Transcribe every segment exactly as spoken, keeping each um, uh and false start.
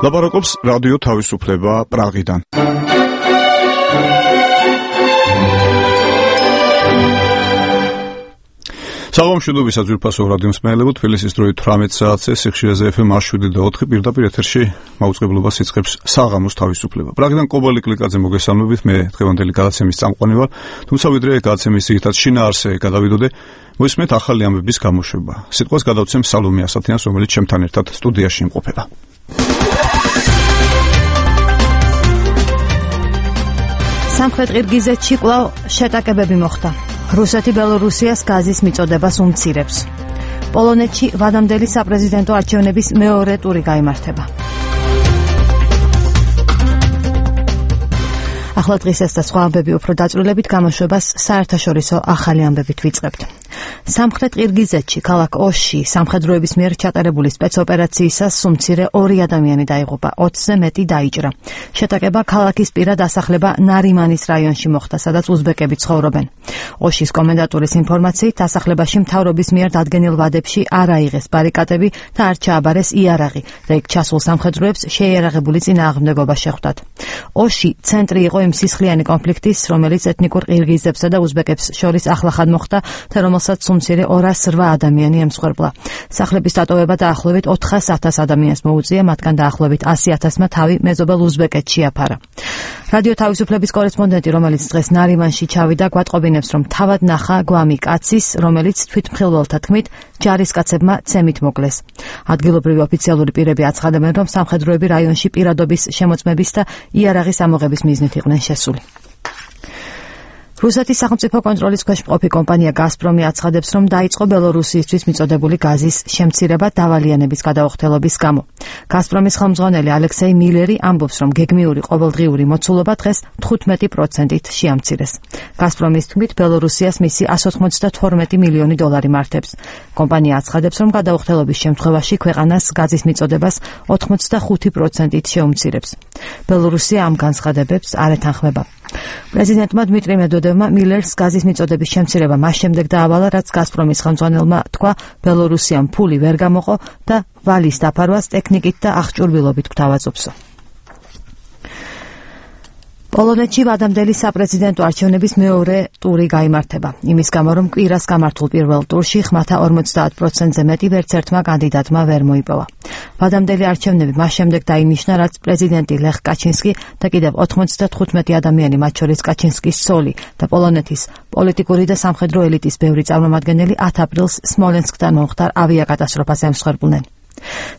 ლაპარაკობს რადიო თავისუფლება პრაღიდან. საღამო მშვიდობისა ძვირფასო რადიო მსმენელებო, თბილისის დროით თვრამეტ საათზე სიხშირეზე ეფ ემ შვიდი და ოთხი პირდაპირ ეთერში მაუწყებლობას იწყებს საღამოს თავისუფლება. პრაღიდან კობალი კლიკაძე მოგესალმებით, მე დღევანდელი გადაცემის წამყვანი ვარ, თუმცა ვიდრე გადაცემის ძირითად შინაარსზე გადავიდოდე, მოისმენთ ახალი ამბების გამოშვება. სიტყვას გადავცემ სალომე ასათიანს, რომელიც ჩემთან ერთად სტუდიაში იმყოფება. სამხრეთ ყირგიზეთში კვლავ შეტაკებები მოხდა. რუსეთი ბელორუსიას გაზის მიწოდებას უმცირებს. პოლონეთში ვადამდელი საპრეზიდენტო არჩევნების მეორე ტური გაიმართება. ახლა დღის ეს და სხვა ამბები უფრო დაწვრილებით გამოშვებას საერთაშორისო ახალი ამბებით ვიწყებთ. სამხრეთ ყირგიზეთში ქალაქ ოში სამხედროების მიერ ჩატარებული სპეცოპერაციისას სუმცირე ორი ადამიანი დაიღუპა, ოცზე მეტი დაიჭრა. შეტაკება ქალაქის პირად დასახლება ნარიმანის რაიონში მოხდა, სადაც უზბეკები ცხოვრობენ. ოშის კომენდატურის ინფორმაციით, დასახლებაში მთავრობის მიერ დადგენილ ვადებში არ აიღეს ბარიკადები და არ ჩააბარეს იარაღი და იქ ჩასულ სამხედროებს შეიარაღებული წინააღმდეგობა შეხვდათ. ოში ცენტრი იყო იმ სისხლიანი კონფლიქტის, რომელიც ეთნიკურ ყირგიზებსა და უზბეკებს შორის ახლახან მოხდა და რომელსაც სუმცირე ორას რვა ადამიანი ემსხვერპლა. სახლების დატოვება დაახლოებით ოთხას ათას ადამიანს მოუწია, მათგან დაახლოებით ასი ათასმა თავი მეზობელ უზბეკეთში აფარა. რადიო თავისუფლების კორესპონდენტი, რომელიც დღეს ნარიმანში ჩავიდა, გვატყობინებს, რომ თავად ნახა გვამი კაცის, რომელიც თვითმხილველთა თქმით ჯარისკაცებმა ცემით მოკლეს. ადგილობრივი ოფიციალური პირები აცხადებენ, რომ სამხედროები რაიონში პირადობის შემოწმების და იარაღის ამოღების მიზნით იყვნენ შესული. რუსეთის სახელმწიფო კონტროლის ქვეშ მყოფი კომპანია გაზპრომი აცხადებს, რომ დაიწყო ბელორუსიისთვის მიწოდებული გაზის შემცირება დავალიანების გადაუხდელობის გამო. გაზპრომის ხელმძღვანელი ალექსეი მილერი ამბობს, რომ გეგმიური ყოველდღიური მოცულობა დღეს თხუთმეტი პროცენტით შეამცირეს. გაზპრომის თქმით, ბელორუსიას მისი εκατს ოცდათორმეტი მილიონი დოლარი მართებს. კომპანია აცხადებს, რომ გადაუხდელობის შემთხვევაში ქვეყანას გაზის მიწოდებას ოცდახუთი პროცენტით შეუმცირებს. ბელორუსია ამ განცხადებებს არ ეთანხმება. პრეზიდენტმა დმიტრი მედვედევმა მილერს გაზის მიწოდების შემცირება მას შემდეგ დაავალა, რაც გაზპრომის ხელმძღვანელმა თქვა, ბელორუსიამ ფული ვერ გამოყო და ვალის დაფარვას ტექნიკით და აღჭურვილობით გვთავაზობსო. პოლონეთში ვადამდელი საპრეზიდენტო არჩევნების მეორე ტური გაიმართება. იმის გამო, რომ კვირას გამართულ პირველ ტურში ხმათა ორმოცდაათ პროცენტზე მეტი ვერც ერთმა კანდიდატმა ვერ მოიპოვა. ვადამდელი არჩევნები მას შემდეგ დაინიშნა, რაც პრეზიდენტი ლეხ კაჩინსკი და კიდევ ოცდათხუთმეტი ადამიანი, მათ შორის კაჩინსკის სოლი და პოლონეთის პოლიტიკური და სამხედრო ელიტის ბევრი წარმომადგენელი ათ აპრილს სმოლენსკთან მომხდარ ავიაკატასტროფას ემსხვერპლნენ.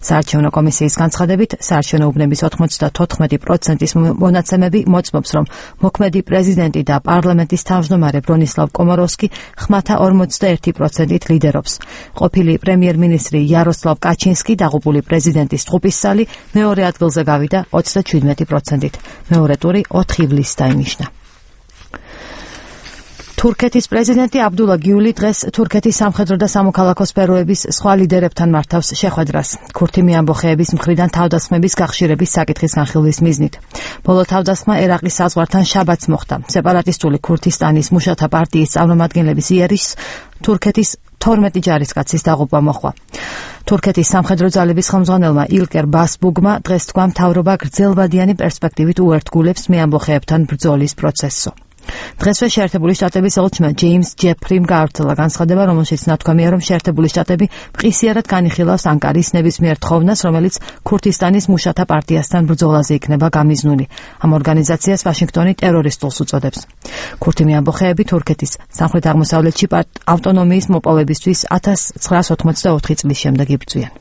საარჩევნო კომისიის განცხადებით, საარჩევნო უბნების ოცდათოთხმეტი პროცენტის მონაცემები მოწმობს, რომ მოქმედი პრეზიდენტი და პარლამენტის თავმჯდომარე ბრონისლავ კომოროვსკი ხმათა ორმოცდაერთი პროცენტით ლიდერობს. ყოფილი პრემიერ-მინისტრი იაროსლავ კაჩინსკი დაღუპული პრეზიდენტის ტყუპისცალი მეორე ადგილზე გავიდა ოცდაჩვიდმეტი პროცენტით. მეორე ტური ოთხ ივლისს დაინიშნა. თურქეთის პრეზიდენტი აბდულა გიული დღეს თურქეთის სამხედრო და სამოქალაქო სფეროების სხვა ლიდერებთან მართავს შეხვედრას, ქურთი ამბოხეების მხრიდან თავდასხმების გახშირების საკითხის განხილვის მიზნით. ბოლო თავდასხმა ერაყის საზღვართან შაბათს მოხდა. სეპარატისტული ქურთისტანის მუშათა პარტიის წარმომადგენლების იერიშს თურქეთის თორმეტი ჯარისკაცის დაღუპვა მოჰყვა. თურქეთის სამხედრო ძალების ხელმძღვანელმა ილკერ ბასბუგმა დღეს თქვა, მთავრობა გრძელვადიანი პერსპექტივით უერთგულებს მეამბოხეებთან ბრძოლის პროცესსო. დღესვე შეერთებული შტატების ელჩმა ჯეიმს ჯეფრიმ გაავრცელა განცხადება, რომელშიც ნათქვამია, რომ შეერთებული შტატები მყისიარად განიხილავს ანკარის ნებისმიერ თხოვნას, რომელიც ქურთისტანის მუშათა პარტიასთან ბრძოლაზე იქნება გამიზნული. ამ ორგანიზაციას ვაშინგტონი ტერორისტულს უწოდებს. ქურთი ამბოხეები თურქეთის სამხრეთ აღმოსავლეთში ავტონომიის მოპოვებისთვის ათას ცხრაას ოცდაოთხი წლის შემდეგ იბრძვიან.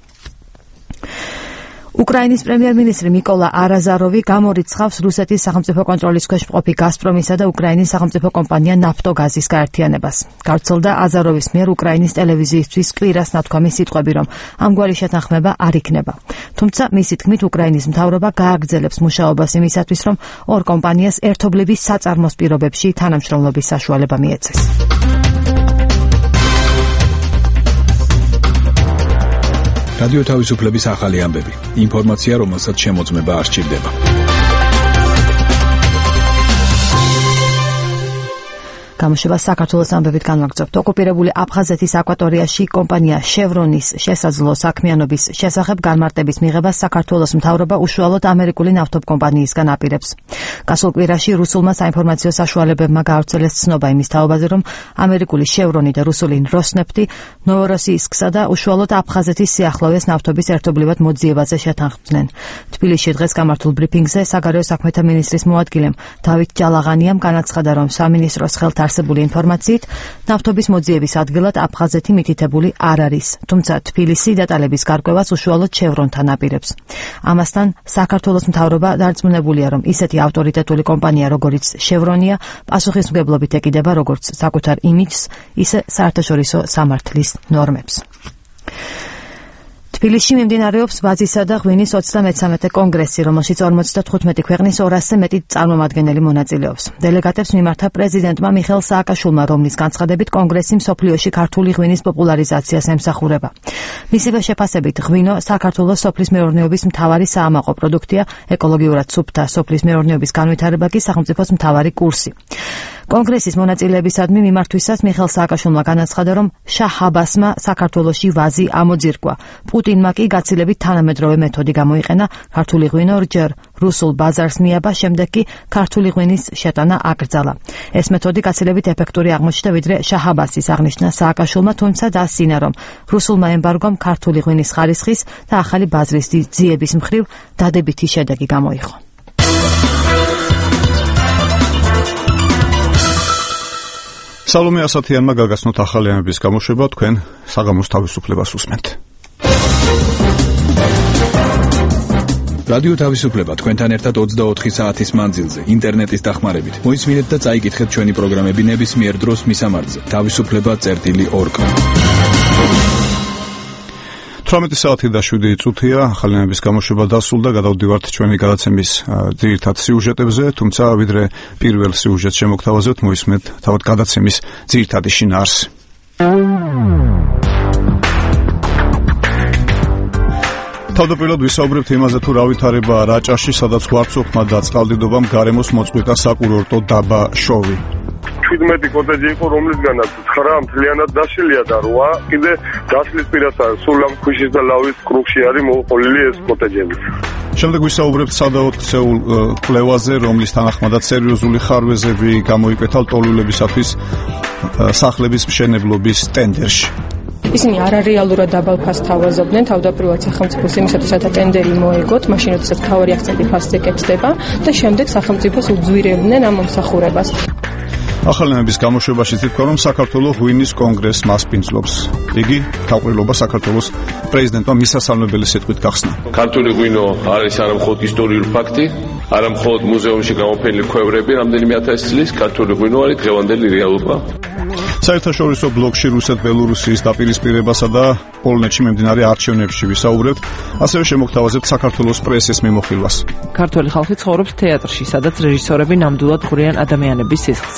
უკრაინის პრემიერ-მინისტრი მიკოლა არაზაროვი გამორიცხავს რუსეთის სახელმწიფო კონტროლის ქვეშ მყოფი გაზპრომისა და უკრაინის სახელმწიფო კომპანია ნაფტოგაზის გაერთიანებას. გავრცელდა აზაროვის მიერ უკრაინის ტელევიზიისთვის კვირას ნათქვამი სიტყვები, რომ ამგვარი შეთანხმება არ იქნება. თუმცა მისი თქმით, უკრაინის მთავრობა გააგრძელებს მუშაობას იმისათვის, რომ ორ კომპანიას ერთობლივი საწარმოს პირობებში თანამშრომლობის საშუალება მიეცეს. რადიო თავისუფლების ახალი ამბები. ინფორმაცია, რომელსაც შემოწმება არ სჭირდება. გამოშვებას საქართველოს ამბებით განვაგრძობთ. ოკუპირებული აფხაზეთის აკვატორიაში კომპანია შევრონის შესაძლო საქმიანობის შესახებ განმარტების მიღებას საქართველოს მთავრობა უშუალოდ ამერიკული ნავთობკომპანიისგან აპირებს. გასულ კვირაში რუსულმა საინფორმაციო საშუალებებმა გაავრცელეს ცნობა იმის თაობაზე, რომ ამერიკული შევრონი და რუსული როსნეფტი ნოვოროსიისკსა და უშუალოდ აფხაზეთის სიახლოვეს ნავთობის ერთობლივად მოძიებაზე შეთანხმდნენ. თბილისში დღეს გამართულ ბრიფინგზე საგარეო საქმეთა მინისტრის მოადგილემ დავით ჯალაღანიამ განაცხადა, რომ სამინისტროს ხელთ არსებული ინფორმაციით ნავთობის მოძიების ადგილად აფხაზეთი მითითებული არ არის, თუმცა თბილისი დეტალების გარკვევას უშუალოდ შევრონთან აპირებს. ამასთან საქართველოს მთავრობა დარწმუნებულია, რომ ისეთი ავტორიტეტული კომპანია, როგორიც შევრონია, პასუხისმგებლობით ეკიდება როგორც საკუთარ იმიჯს, ისე საერთაშორისო სამართლის ნორმებს. თბილისში მიმდინარეობს ვაზისა და ღვინის ოცდამეცამეტე კონგრესი, რომელშიც ორმოცდათხუთმეტი ქვეყნის ორასზე მეტი წარმომადგენელი მონაწილეობს. დელეგატებს მიმართა პრეზიდენტმა მიხეილ სააკაშვილმა, რომლის განცხადებით კონგრესი მსოფლიოში ქართული ღვინის პოპულარიზაციას ემსახურება. მისივე შეფასებით, ღვინო საქართველოს სოფლის მეურნეობის მთავარი საამაყო პროდუქტია, ეკოლოგიურად სუფთა სოფლის მეურნეობის განვითარება კი სახელმწიფოს მთავარი კურსი. კონგრესის მონაწილეებისადმი მიმართვისას მიხეილ სააკაშვილმა განაცხადა, რომ შაჰ აბასმა საქართველოში ვაზი ამოძირკვა. პუტინმა კი გაცილებით თანამედროვე მეთოდი გამოიყენა, ქართული ღვინო რჯერ რუსულ ბაზარს მიაბა, შემდეგ კი ქართული ღვინის შეტანა აკრძალა. ეს მეთოდი გაცილებით ეფექტური აღმოჩნდა, ვიდრე შაჰ აბასის, აღნიშნა სააკაშვილმა, თუმცა დაასინა, რომ რუსულმა ემბარგომ ქართული ღვინის ხარისხის და ახალი ბაზრის ძიების მხრივ დადებითი შედეგი გამოიღო. სალომე ასათიანმა გაგაცნოთ ახალი ამბების გამოშვება, თქვენ საღამოს თავისუფლებას უსმენთ. რადიო თავისუფლება თქვენთან ერთად ოცდაოთხი საათის მანძილზე, ინტერნეტის დახმარებით. მოისმინეთ და წაიკითხეთ ჩვენი პროგრამები ნებისმიერ დროს მისამართზე. თავისუფლება წერტილი ორ კა. თვრამეტი საათი და შვიდი წუთია, ახალი ამბების გამოშვება დასრულდა, გადავდივართ ჩვენი გადაცემის ძირითად სიუჟეტებზე, თუმცა ვიდრე პირველ სიუჟეტს შემოგთავაზებთ, მოისმენთ თავად გადაცემის ძირითადი შინაარსი. თავდაპირველად ვისაუბრებთ იმაზე, თუ რა ვითარებაა რაჭაში, სადაც გვარცოხმა და წყალდიდობამ გარემოს მოწყვიტა საკურორტო დაბა შოვი. შვიდმეტი კოტეჯი იყო, რომლისგანაც ცხრა მთლიანად დაშლილია და რვა კიდე დაშლის პირასაა. სულ ამ ქვიშის და ლავის კრუგში არის მოყოლილი ეს კოტეჯები. შემდეგ ვისაუბრებთ სადაოდ ქცეულ კვლევაზე, რომლის თანახმადაც სერიოზული ხარვეზები გამოიკვეთა ლტოლვილებისათვის სახლების მშენებლობის ტენდერში. ისინი არარეალურად დაბალ ფასს თავაზობდნენ, თავდაპირველად სახელმწიფოს იმისათვის, რათა ტენდერი მოეგოთ, მაშინ როდესაც მთავარი აქცენტი ფასზე კეთდება და შემდეგ სახელმწიფოს უძვირებდნენ ამ მომსახურებას. ახალი ამბების გამოშვებაში თითქვა, რომ საქართველოს ღვინის კონგრესს მასპინძლობს. იგი თავყრილობა საქართველოს პრეზიდენტმა მისასალმებელი სიტყვით გახსნა. ქართული ღვინო არის არამხოლოდ ისტორიული ფაქტი, არამხოლოდ მუზეუმში გამოფენილი ქვევრები რამდენიმე ათასი წლის, ქართული ღვინო არის დღევანდელი რეალობა. საერთაშორისო ბლოკში რუსეთ-ბელორუსიის დაპირისპირებასა და პოლონეთში მიმდინარე არჩევნებში ვისაუბრებთ, ასევე შემოგთავაზებთ საქართველოს პრესის მიმოხილვას. ქართველი ხალხი ცხოვრობს თეატრში, სადაც რეჟისორები ნამდვილად ღვრიან ადამიანების სისხლს.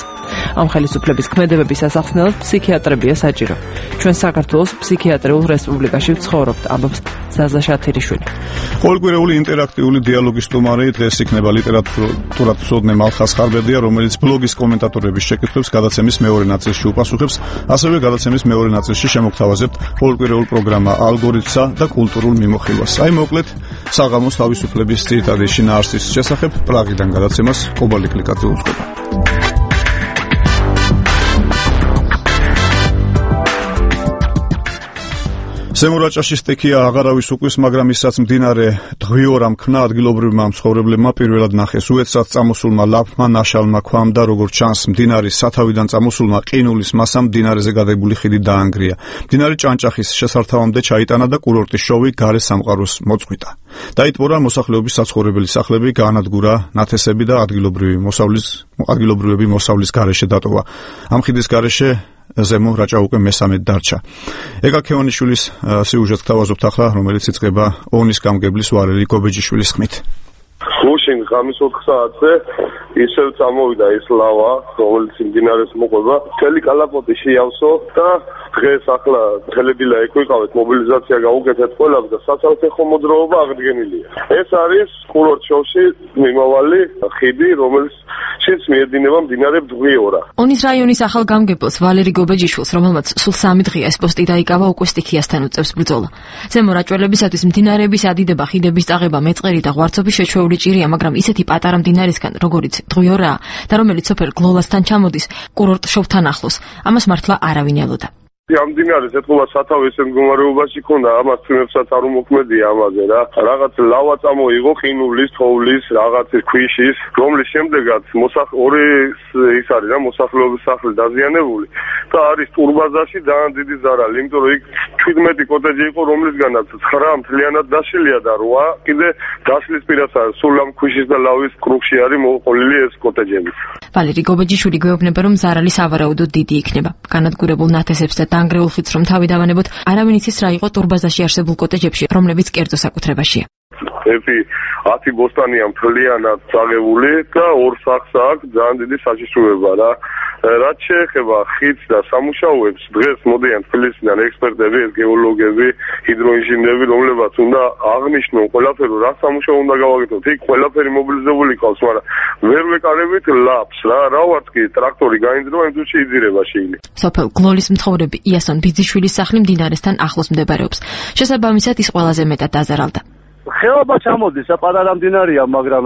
ამ ხელისუფლების ქმედებების ასახსნელად ფსიქიატრებია საჭირო. ჩვენ საქართველოს ფსიქიატრიულ რესპუბლიკაში ვცხოვრობთ, ამბობს ზაზა შათირიშვილი. ყოველკვირეული ინტერაქტიული დიალოგის სტუმარი დღეს იქნება ლიტერატურად მცოდნე მალხას ხარბედია, რომელიც ბლოგის კომენტატორების შეკითხვებს გადაცემის მეორე ნაწილში უპასუხებს, ასევე გადაცემის მეორე ნაწილში შემოგთავაზებთ ყოველკვირეულ პროგრამა ალგორითმსა და კულტურულ მიმოხილვას. აი მოკლედ საღამოს თავისუფლების ძირითადი შინაარსის შესახებ პრაღიდან გადაცემას კობალი კლიკაძე უძღვება. ზემორაჭაში სტექია აღარავის უკვის, მაგრამ ისაც მდინარე დღიორამ ქნა ადგილობრივმა მცხოვრებლებმა პირველად ნახეს. უეცრად წამოსულმა ლაფმა, ნაშალმა ქვამ და როგორც ჩანს, მდინარის სათავიდან წამოსულმა ყინულის მასამ მდინარეზე გადებული ხიდი დაანგრია. მდინარე ჭანჭახის შესართავამდე ჩაიტანა და კურორტის შოვი გარე სამყაროს მოწყვიტა. დაიტბორა მოსახლეობის საცხოვრებელი სახლები, გაანადგურა ნათესები და ადგილობრივი მოსავლის ადგილობრივები მოსავლის გარეშე დატოვა. ამ ხიდის გარეშე ზემო რაჭა უკვე მესამედ დარჩა. ეგა ქევანიშვილის სიუჟეტს გთავაზობთ ახლა, რომელიც იწყება ონის გამგებლის ვარელი გობეჯიშვილის ხმით. გუშინ ღამის ოთხ საათზე ისევ წამოვიდა ეს ლავა, რომელიც მდინარეს მოყვება, მთელი კალაპოტი შეავსო და დღეს ახლა ხელებილა ეკვიყავეთ, მობილიზაცია გაუკეთეთ ყველას და საცალფეხო მოძრაობა აღდგენილია. ეს არის კურორტ შოვში მიმავალი ხიდი, რომელიც ისიც მიედინება მდინარე ბდღვიორა. ონის რაიონის ახალ გამგებელს ვალერი გობეჯიშვილს, რომელმაც სულ სამი დღეა ეს პოსტი დაიკავა, უკვე სტიქიასთან უწევს ბრძოლა. ზემო რაჭველებისათვის მდინარეების ადიდება, ხიდების წაღება, მეწყერი და ღვარცობის შეჩვეული ჭირია, მაგრამ ისეთი პატარა მდინარისგან, როგორიც ბდღვიორაა და რომელიც სოფელ გლოლასთან ჩამოდის, კურორტ შოვთან ახლოს, ამას მართლა არავინ ელოდა. ამ დინარეს ეთქობა სათავე ესე მდგომარეობაში ქონდა, ამას თვიმებსაც არ უმოქმედია ამაზე რა. რაღაც ლავა წამოიღო ყინულის, თოვლის, რაღაც ქვიშის, რომლის შემდეგაც მოსახ ორი ის არის რა, მოსახლეობის სახლი დაზიანებული და არის ტურბაზაში ძალიან დიდი ზარალი, იმიტომ რომ იქ ჩვიდმეტი კოტეჯი იყო, რომლისგანაც ცხრა მთლიანად დაშლილია და რვა კიდე დაშლის პირასაა, სულ ამ ქვიშის და ლავის კრუგში არის მოყოლილი ეს კოტეჯები. ვალერი გობეჯიშვილი გვეუბნება, რომ ზარალი სავარაუდოდ დიდი იქნება. განადგურებულ ნათესებს და დანგრეულ ხიდს რომ თავი დავანებოთ, არავინ იცის რა იყო ტურბაზაში არსებულ კოტეჯებში, რომლებიც კერძო საკუთრებაშია. ევი ათი ბოსტანია მთლიანად წაღებული და ორ სახლს აქვს ძალიან დიდი საჩივრება რა. რაც შეეხება ხიდს და სამუშაოებს, დღეს მოდიან თბილისიდან ექსპერტები, გეოლოგები, ჰიდროინჟინერები, რომლებაც უნდა აღნიშნონ ყველაფერი, რა სამუშაო უნდა გავაკეთოთ. იქ ყველაფერი მობილიზებული ყავს, მაგრამ ვერ ვეკარებით ლაპს რა. რა ვართ კი ტრაქტორი გაინძრება, იმ თვეში იძირება შეილი. სოფელ გლოლის მცხოვრები იასონ ბიძიშვილის სახლი მდინარესთან ახლოს მდებარეობს. შესაბამისად ის ყველაზე მეტად დაზარალდა. ხეობა ჩამოდის, პატარა მდინარია, მაგრამ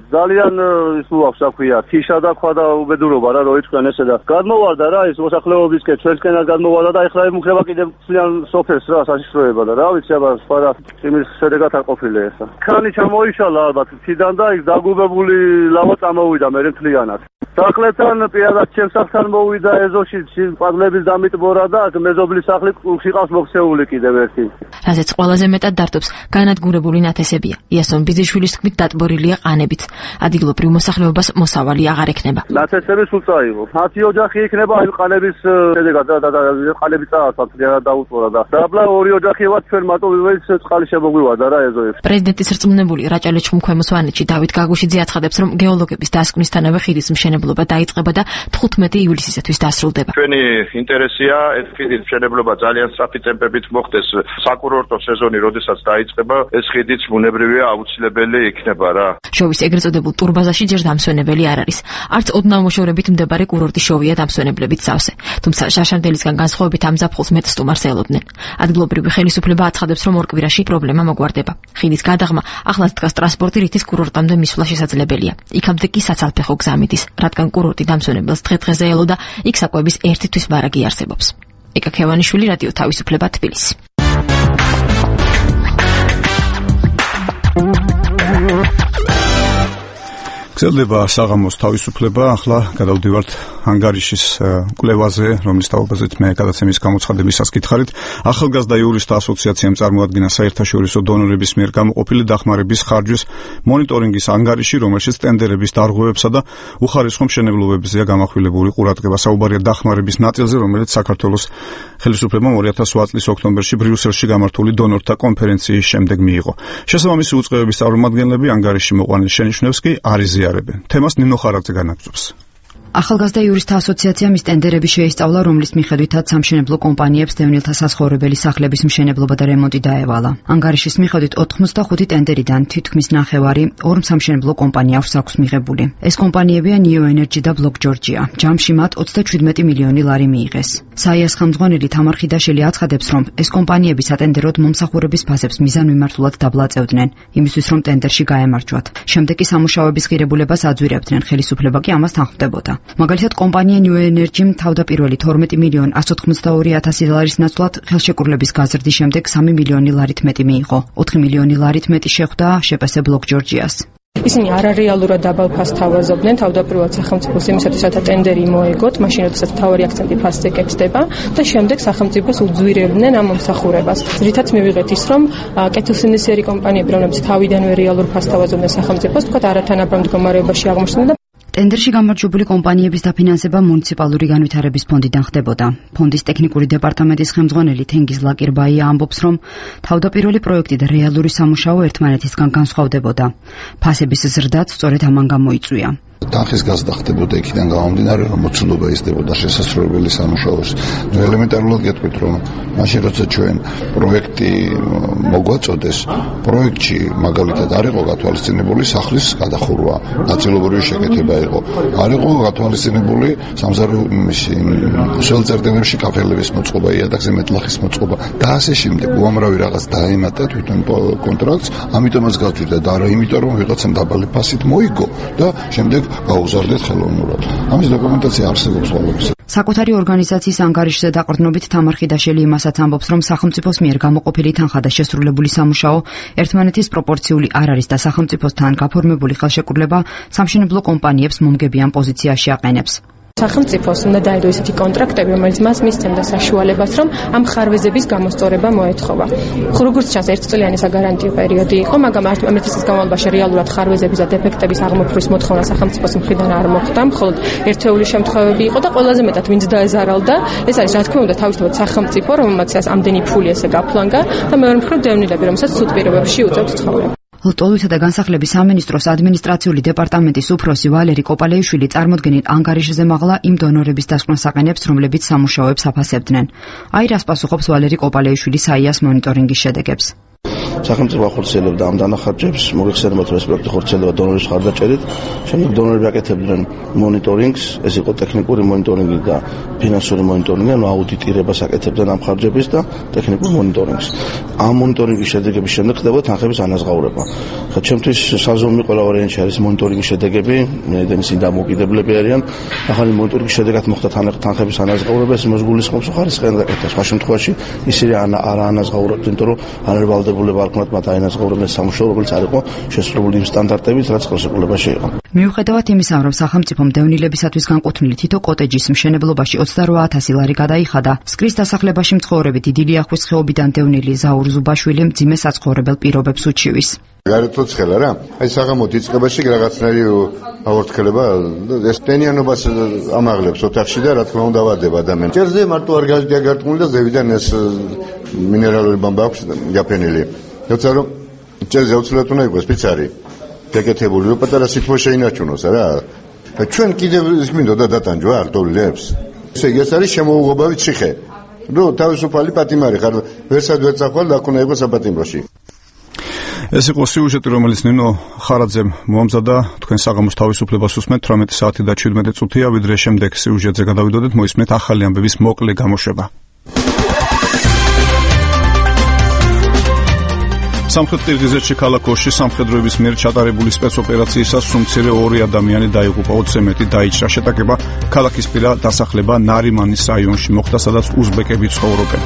ძალიან ის უაქვს, რა ქვია, თიშა და ქვა და უბედურობა რა, რო იწვენ ესე და გადმოვარდა რა, ის მოსახლეობისკენ ჩვენსკენად გადმოვარდა და ეხლა ემუქრება კიდევ ძალიან სოფელს რა, საშიშროება და რა ვიცი, აბა სხვა რა იმის შედეგად არ ყოფილია ესა. ქანი ჩამოიშალა ალბათ თიდან და იქ დაგუბებული ლავა წამოვიდა მე მთლიანად. სახლებთან პირადად ჩემს სახლთან მოვიდა ეზოში პადლების დამიტბორა და მეზობლის სახლი ყავს მოქცეული კიდევ ერთი. რაზეც ყველაზე მეტად დარდობს განადგურებული ნათესებია. იასონ ბიძიშვილის თქმით დატბორილია ყანებით. ადგილობრივ მოსახლეობას მოსავალი აღარ ექნება. ნათესები სულ წაიღო. ათი ოჯახი იქნება აი ყანების შედეგად და და ყანები წაასვათ დაუტბორა და დაბლა ორი ოჯახი ვართ ჩვენ მარტო ვისაც წყალი შემოგვივარდა რა ეზოებში. პრეზიდენტის რწმუნებული რაჭა-ლეჩხუმ-ქვემო სვანეთში დავით გაგუშიძე აცხადებს, რომ გეოლოგების დასკვნისთანავე ხიდის მშენებლობა დაიწყება და თხუთმეტი ივლისისათვის დასრულდება. ჩვენი ინტერესია ეს ხიდის მშენებლობა ძალიან სწრაფი ტემპებით მოხდეს. საკურორტო სეზონი როდესაც დაიწყება, ეს ხიდიც ბუნებრივია აუცილებელი იქნება რა. შოვის ეგრეთ წოდებულ ტურბაზაში ჯერ დამსვენებელი არ არის. არც ოდნავ მოშორებით მდებარე კურორტი შოვია დამსვენებლებით სავსე. თუმცა შაშარდელისგან განსხვავებით ამ ზაფხულს მეტ სტუმარს ელოდნენ. ადგილობრივი ხელისუფლება აცხადებს, რომ ორ კვირაში პრობლემა მოგვარდება. ხიდის გადაღმა ახლაც დგას ტრანსპორტი, რითიც კურორტამდე მისვლა შესაძლებელია. იქამდე კი საცალფეხო გზა მიდის, რადგან კურორტი დამსვენებელს დღე-დღეზე ელოდა, იქ საკვების ერთი თვის ვარაგი არსებობს. ეკა ქევანიშვილი, რადიო თავისუფლება, თბილისი. გრძელდება საღამოს თავისუფლება, ახლა გადავდივართ ანგარიშის კვლევაზე, რომლის თაობაზეც მე გადაცემის გამოცხადებისას გითხარით. ახალგაზრდა იურისტთა ასოციაციამ წარმოადგინა საერთაშორისო დონორების მიერ გამოყოფილი დახმარების ხარჯვის მონიტორინგის ანგარიში, რომელშიც ტენდერების დარღვევებსა და უხარისხო მშენებლობებზეა გამახვილებული ყურადღება. საუბარია დახმარების ნაწილზე, რომელიც საქართველოს ხელისუფლებამ ორი ათას ოთხ წლის ოქტომბერში ბრიუსელში გამართული დონორთა კონფერენციის შემდეგ მიიღო. შესაბამისი უწყებების წარმომადგენლები ანგარიში მოყვანილ შენიშვნებს კი არ იზიარებენ. თემას ნინო ხარაძე განაგრძობს. ახალგაზრდა იურისტთა ასოციაციამ ის ტენდერები შეისწავლა, რომლის მიხედვითაც სამშენებლო კომპანიებს დევნილთა სასხოვრებელი სახლების მშენებლობა და რემონტი დაევალა. ანგარიშის მიხედვით ოთხმოცდახუთი ტენდერიდან თითქმის ნახევარი ორ სამშენებლო კომპანიას აქვს მიღებული. ეს კომპანიებია Neo Energy და Block Georgia. ჯამში მათ ოცდაშვიდმეტი მილიონი ლარი მიიღეს. საიას ხელმძღვანელი თამარ ხიდაშვილი აცხადებს, რომ ეს კომპანიები სატენდეროდ მომსახურების ფასებს მიზანმიმართულად დაბლაწევდნენ, იმისთვის რომ ტენდერში გაემარჯვათ. შემდეგ კი სამუშაოების ღირებულებას აძვირებდნენ, ხელისუფლება კი ამას თანხმდებოდა. მაგალითად, კომპანია New Energy-მ თავდაპირველი თორმეტი მილიონი ათს ოცდაოთხი ათასი ლარის ნაცვლად ხელშეკრულების გაზრდის შემდეგ სამი მილიონი ლარით მეტი მიიღო. ოთხი მილიონი ლარით მეტი შეხვდა შეპესე Block Georgia-ს. ისინი არარეალურად დაბალ ფასს თავაზობდნენ, თავდაპირველად სახელმწიფოს იმისათვის, რათა ტენდერი მოეგოთ, მაშინ როდესაც მთავარი აქცენტი ფასზე კეთდება და შემდეგ სახელმწიფოს უძვირებდნენ ამ მომსახურებას. რითაც მივიღეთ ის, რომ კეთილსინდისიერი კომპანიები, რომლებიც თავიდანვე რეალურ ფასს თავაზობდნენ სახელმწიფოს, თქვათ არათანაბრად მდგომარეობაში აღმოჩნდნენ და ტენდერში გამარჯვებული კომპანიების დაფინანსება მუნიციპალური განვითარების ფონდიდან ხდებოდა. ფონდის ტექნიკური დეპარტამენტის ხელმძღვანელი თენგიზ ლაკირბაია ამბობს, რომ თავდაპირველი პროექტი და რეალური სამუშაო ერთმანეთისგან განსხვავდებოდა. ფასების ზრდაც სწორედ ამან გამოიწვია. თანხის გაზდა ხდებოდა იქიდან გამომდინარე, რომ მოცულობა ისდებოდა შესასრულებელი სამუშაოს. ნუ ელემენტარულად გეტყვით, რომ მაშინ როცა ჩვენ პროექტი მოგვაწოდეს, პროექტში მაგალითად არ იყო გათვალისწინებული სახლის გადახურვა, ნაწილობრივი შეკეთება იყო. არ იყო გათვალისწინებული სამზარეულოში, სველწერტილებში კაფელების მოწყობა, იატაკზე მეტლახის მოწყობა და ასე შემდეგ. უამრავი რაღაც დაემატა თვითონ კონტრაქტს, ამიტომაც გავწვიდა და არა იმიტომ, რომ ვიღაცამ დაბალი ფასით მოიგო და შემდეგ გაუზარდეთ ხელოვნურად. ამის დოკუმენტაცია არსებობს ყველაფერს. საკუთარი ორგანიზაციის ანგარიშზე დაყრდნობით თამარ ხიდაშელი იმასაც ამბობს, რომ სახელმწიფოს მიერ გამოყოფილი თანხა და შესრულებული სამუშაო ერთმანეთის პროპორციული არ არის და სახელმწიფოსთან გაფორმებული ხელშეკრულება სამშენებლო კომპანიებს მომგებიან პოზიციაში აყენებს. სახელმწიფოს უნდა დაედო ისეთი კონტრაქტები, რომელიც მას მისცემდა საშუალებას, რომ ამ ხარვეზების გამოსწორება მოეთხოვა. როგორც ჩანს, ერთწლიანი საგარანტიო პერიოდი იყო, მაგრამ ამ ერთ წლის განმავლობაში რეალურად ხარვეზების და დეფექტების აღმოფხვრვის მოთხოვნა სახელმწიფოს მხრიდან არ მოხდა, მხოლოდ ერთეული შემთხვევები იყო და ყველაზე მეტად ვინც დაეზარალდა, ეს არის რა თქმა უნდა თავისთავად სახელმწიფო, რომელმაც ამდენი ფული ესე გაფლანგა და მეორე მხრივ დევნილები, რომელსაც სუთ პირობებში უწევთ ცხოვრება. ლტოლვილთა და განსახლების სამინისტროს ადმინისტრაციული დეპარტამენტის უფროსი ვალერი კოპალეიშვილი წარმოდგენილ ანგარიშზე მაღლა იმ დონორების დასკვნას აყენებს, რომლებიც სამუშაოებს აფასებდნენ. აირას პასუხობს ვალერი კოპალეიშვილი საიას მონიტორინგის შედეგებს. სახელმწიფო ახორციელებდა ამ დანახარჯებს, მოგეხსენებათ, რომ ეს პროექტი ხორციელდება დონორის მხარდაჭერით. შემდეგ დონორები აკეთებდნენ მონიტორინგს, ეს იყო ტექნიკური მონიტორინგი და ფინანსური მონიტორინგი, ანუ აუდიტირებას აკეთებდნენ ამ ხარჯების და ტექნიკურ მონიტორინგს. ამ მონიტორინგის შედეგების შემდეგ ხდება თანხების ანაზღაურება. ხა ჩემთვის საზომი ყველა ვარიანტი არის მონიტორინგის შედეგები, იმედენი სინ დამოუკიდებლები არიან. ახალი მონიტორინგის შედეგად მოხდა თანხების ანაზღაურება, ეს მოსგულისხმობს ხარისხიან გაკეთებას. ამ შემთხვევაში ისინი არ ანაზღაურებდნენ, იმიტომ რომ არ ვალდებულება არქნათ მათ აინაზღაურებდნენ სამუშაო, რომელიც არ იყო შესრულებული იმ სტანდარტებით, რაც ხელშეკრულებაში იყო. მიუხედავად იმისა, რომ სახელმწიფომ დევნილებისათვის განკუთვნილი თითო კოტეჯის მშენებლობაში ოცდარვა ათასი ლარი გადაიხადა, სკრის დასახლებაში მცხოვრები დიდი ლიახვის ხეობიდან დევნილი ზაურ ზუბაშვილი მძიმე საცხოვრებელ პირობებს უჩივის. გარეთო ცხელა რა. აი საღამო დიწყებაში რაღაცნაირი აორთქლება ეს ტენიანობას ამაღლებს ოთახში და რა თქმა უნდა ვადება ადამიანს. ჭერზე მარტო არ გაგარტყმული და ზევიდან ეს მინერალური ბამბა აქვს იაფენილი. როცა რომ ჭერზე უცვლად უნდა იყოს ფიცარი. გაკეთებული რომ პატარა სითბო შეინარჩუნოს რა. ჩვენ კიდევ ის მინდოდა დატანჯვა ლტოლვილებს. ესე იგი ეს არის შემოუღობავი ციხე. რო თავისუფალი პატიმარი ხარ ვერსად ვერ წახვალ და აქ უნდა იყოს საპატიმროში. ეს იყო სიუჟეტი, რომელიც ნინო ხარაძემ მოამზადა. თქვენ საღამოს თავისუფლებას უსმენთ თვრამეტი საათი და შვიდმეტი წუთია, ვიდრე შემდეგ სიუჟეტზე გადავიდოდეთ, მოისმენთ ახალი ამბების მოკლე გამოშვება. სამხრეთ ყირგიზეთში ქალაქ ოშში სამხედროების მიერ ჩატარებული სპეცოპერაციისას სუმცირე ორი ადამიანი დაიღუპა, ოცზე მეტი დაიჭრა. შეტაკება ქალაქისპირა დასახლება ნარიმანის რაიონში მოხდა, სადაც უზბეკები ცხოვრობენ.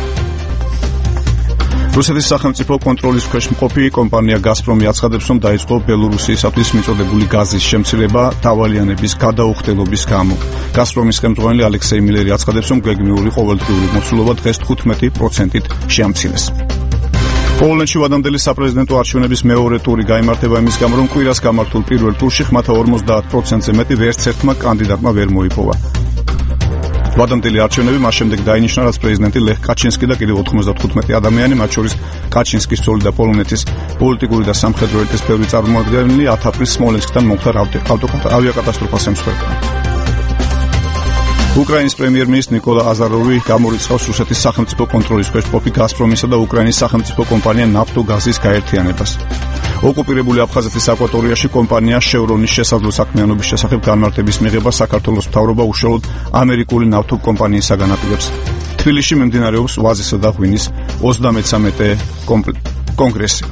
რუსეთის სახელმწიფო კონტროლის ქვეშ მყოფი კომპანია გაზპრომი აცხადებს, რომ დაიწყო ბელორუსიისათვის მიწოდებული გაზის შემცირება დავალიანების გადაუხდელობის გამო. გაზპრომის ხელმძღვანელი ალექსეი მილერი აცხადებს, რომ გეგმიური ყოველდღიური მოცულობა დღეს თხუთმეტი პროცენტით შეამცირეს. პოლონეთში ვადამდელი საპრეზიდენტო არჩევნების მეორე ტური გაიმართება იმის გამო, რომ კვირას გამართულ პირველ ტურში ხმათა ორმოცდაათ პროცენტზე მეტი ვერც ერთმა კანდიდატმა ვერ მოიპოვა. ვადამდელი არჩევნები მას შემდეგ დაინიშნა, რაც პრეზიდენტი ლეხ კაჩინსკი და კიდევ ოთხმოცდათხუთმეტი ადამიანი, მათ შორის კაჩინსკის ცოლი და პოლონეთის პოლიტიკური და სამხედრო ელიტის ბევრი წარმომადგენელი ათ აპრილს სმოლენსკთან მომხდარ ავიაკატასტროფას ემსხვერპლან. უკრაინის პრემიერ-მინისტრი ნიკოლა აზაროვი გამორიცხავს რუსეთის სახელმწიფო კონტროლის ქვეშ მყოფი გაზპრომისა და უკრაინის სახელმწიფო კომპანია ნაფტოგაზის გაერთიანებას. ოკუპირებული აფხაზეთის აკვატორიაში კომპანია შევრონის შესაძლო საქმიანობის შესახებ განმარტების მიღება საქართველოს მთავრობა უშუალოდ ამერიკული ნავთობკომპანიისაგან აპირებს. თბილისში მიმდინარეობს ვაზისა და ღვინის ოცდამეცამეტე კონგრესი.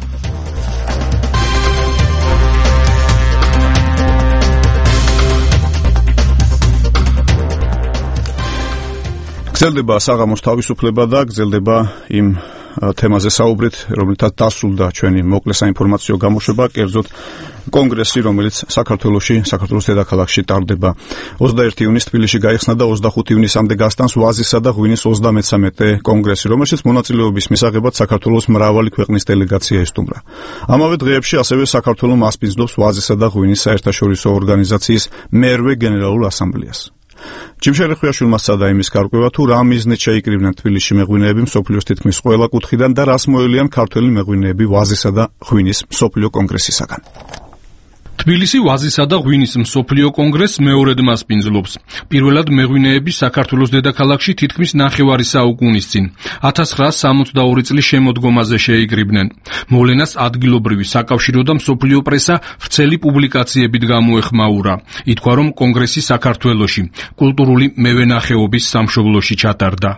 გრძელდება საღამოს თავისუფლება და გრძელდება იმ თემაზე საუბრით, რომელთაც დასრულდა ჩვენი მოკლე საინფორმაციო გამოშვება, კერძოდ კონგრესი, რომელიც საქართველოში, საქართველოს დედაქალაქში ტარდება. ოცდაერთი ივნისს თბილისში გაიხსნა და ოცდახუთი ივნისამდე გასტანს ვაზისა და ღვინის ოცდამეცამეტე კონგრესი, რომელშიც მონაწილეობის მისაღებად საქართველოს მრავალი ქვეყნის დელეგაცია ესტუმრა. ამავე დღეებში ასევე საქართველო მასპინძლობს ვაზისა და ღვინის საერთაშორისო ორგანიზაციის მერვე გენერალურ ასამბლეას. ჯიმშელი ხვიაშვილმა სცადა იმის გარკვევა, თუ რა მიზნით შეიკრიბნენ თბილისში მეღვინეები მსოფლიოს თითქმის ყველა კუთხიდან და რას მოელიან ქართველი მეღვინეები ვაზისა და ღვინის მსოფლიო კონგრესისაგან. თბილისი ვაზისა და ღვინის მსოფლიო კონგრესს მეორედ მასპინძლობს. პირველად მეღვინეები საქართველოს დედაქალაქში თითქმის ნახევარი საუკუნის წინ ათას ცხრაასი სამოცდაორი წლის შემოდგომაზე შეიკრიბნენ. მოვლენას ადგილობრივი საკავშირო და მსოფლიო პრესა ვრცელი პუბლიკაციებით გამოეხმაურა. ითქვა, რომ კონგრესი საქართველოში კულტურული მევენახეობის სამშობლოში ჩატარდა.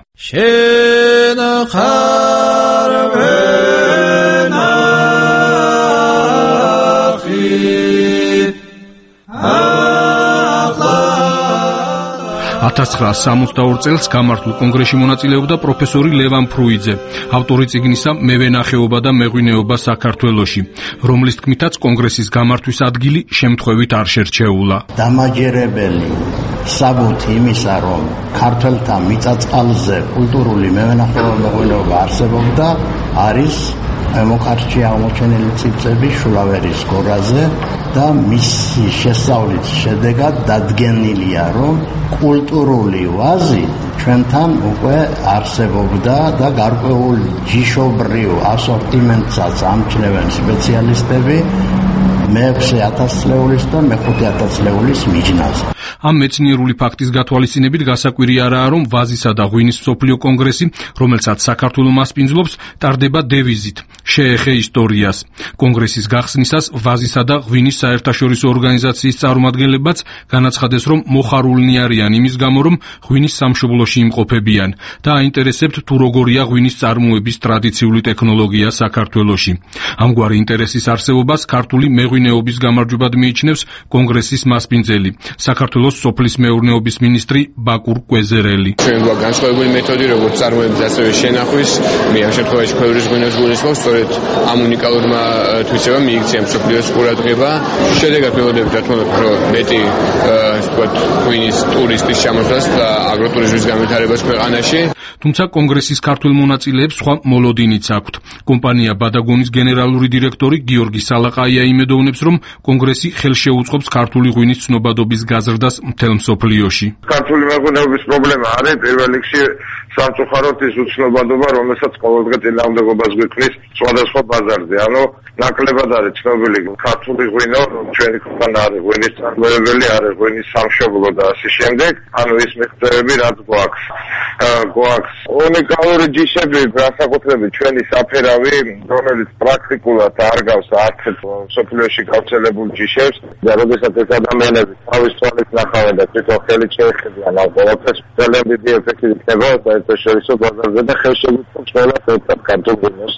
ათას ცხრაასი სამოცდაორ წელს გამართულ კონგრესში მონაწილეობდა პროფესორი ლევან ფრუიძე, ავტორი წიგნისა მევენახეობა და მეღვინეობა საქართველოში, რომლის თქმითაც კონგრესის გამართვის ადგილი შემთხვევით არ შერჩეულა. დამაჯერებელი საბუთი იმისა, რომ ქართველთა მიწა-წყალზე კულტურული მევენახეობა არსებობდა, არის მოკარჭე აღმოჩენილი ციფრები შულავერის გორაზე და მისი შესწავლის შედეგად დადგენილია, რომ კულტურული ვაზი ჩვენთან უკვე არსებობდა და გარკვეულ ჯიშობრივ ასორტიმენტსაც ამჩნევენ სპეციალისტები მეექვსე ათასწლეულის და მეხუთე ათასწლეულის მიჯნაზე. ამ მეცნიერული ფაქტის გათვალისწინებით გასაკვირი არაა, რომ ვაზისა და ღვინის მსოფლიო კონგრესი, რომელსაც საქართველო მასპინძლობს, ტარდება დევიზით შეეხე ისტორიას. კონგრესის გახსნისას ვაზისა და ღვინის საერთაშორისო ორგანიზაციის წარმომადგენლებაც განაცხადეს, რომ მოხარულნი არიან იმის გამო, რომ ღვინის სამშობლოში იმყოფებიან და აინტერესებთ თუ როგორია ღვინის წარმოების ტრადიციული ტექნოლოგია საქართველოში. ამგვარი ინტერესის არსებობას ქართული მეღვინეობის გამარჯვებად მიიჩნევს კონგრესის მასპინძელი, საქართველოს სოფლის მეურნეობის მინისტრი ბაკურ კვეზერელი. ჩვენ გვაქვს განსხვავებული მეთოდი, როგორც წარმოების ასევე შენახვის, მე ამ შემთხვევაში ქვევრის ღვინოს გულისხმობს, სწორედ ამ უნიკალურმა თვისებამ მიიქცია მსოფლიოს ყურადღება. შედეგად მივხვდებით, რა თქმა უნდა, რომ მეტი ასე ვთქვათ, ღვინის ტურისტის ჩამოსვლას და აგროტურიზმის განვითარებას ქვეყანაში. თუმცა კონგრესის ქართულ მონაწილეებს სხვა მოლოდინიც აქვთ. კომპანია ბადაგონის გენერალური დირექტორი გიორგი სალაყაია იმედოვნებს, რომ კონგრესი ხელშეუწყობს ქართული ღვინის ცნობადობის გაზრდას მთელ მსოფლიოში. ქართული მეღვინეობის პრობლემა არის პირველ რიგში სამწუხაროდ ის უცნობადობა, რომელსაც ყოველდღე წინააღმდეგობას გვიქმნის სხვადასხვა ბაზარზე. ანუ ნაკლებად არის ცნობილი ქართული ღვინო, ჩვენი ქვეყანა არის ღვინის წარმოებელი, არის ღვინის სამშობლო და ასე შემდეგ. ანუ ის მიღწევები რაც გვაქვს. გვაქვს უნიკალური ჯიშები, განსაკუთრებით ჩვენი საფერავი, რომელიც პრაქტიკულად არ გავს არც მსოფლიოში გავრცელებულ ჯიშებს და როდესაც ეს ადამიანები თავის თვალით ნახავენ და თვითონ ხელით შეეხებიან ამ ყველაფერს, ძალიან დიდი ეფექტი იქნება საერთაშორისო ბაზარზე და ხელშეუწყობს ყველას ერთად ქართულ ღვინოს.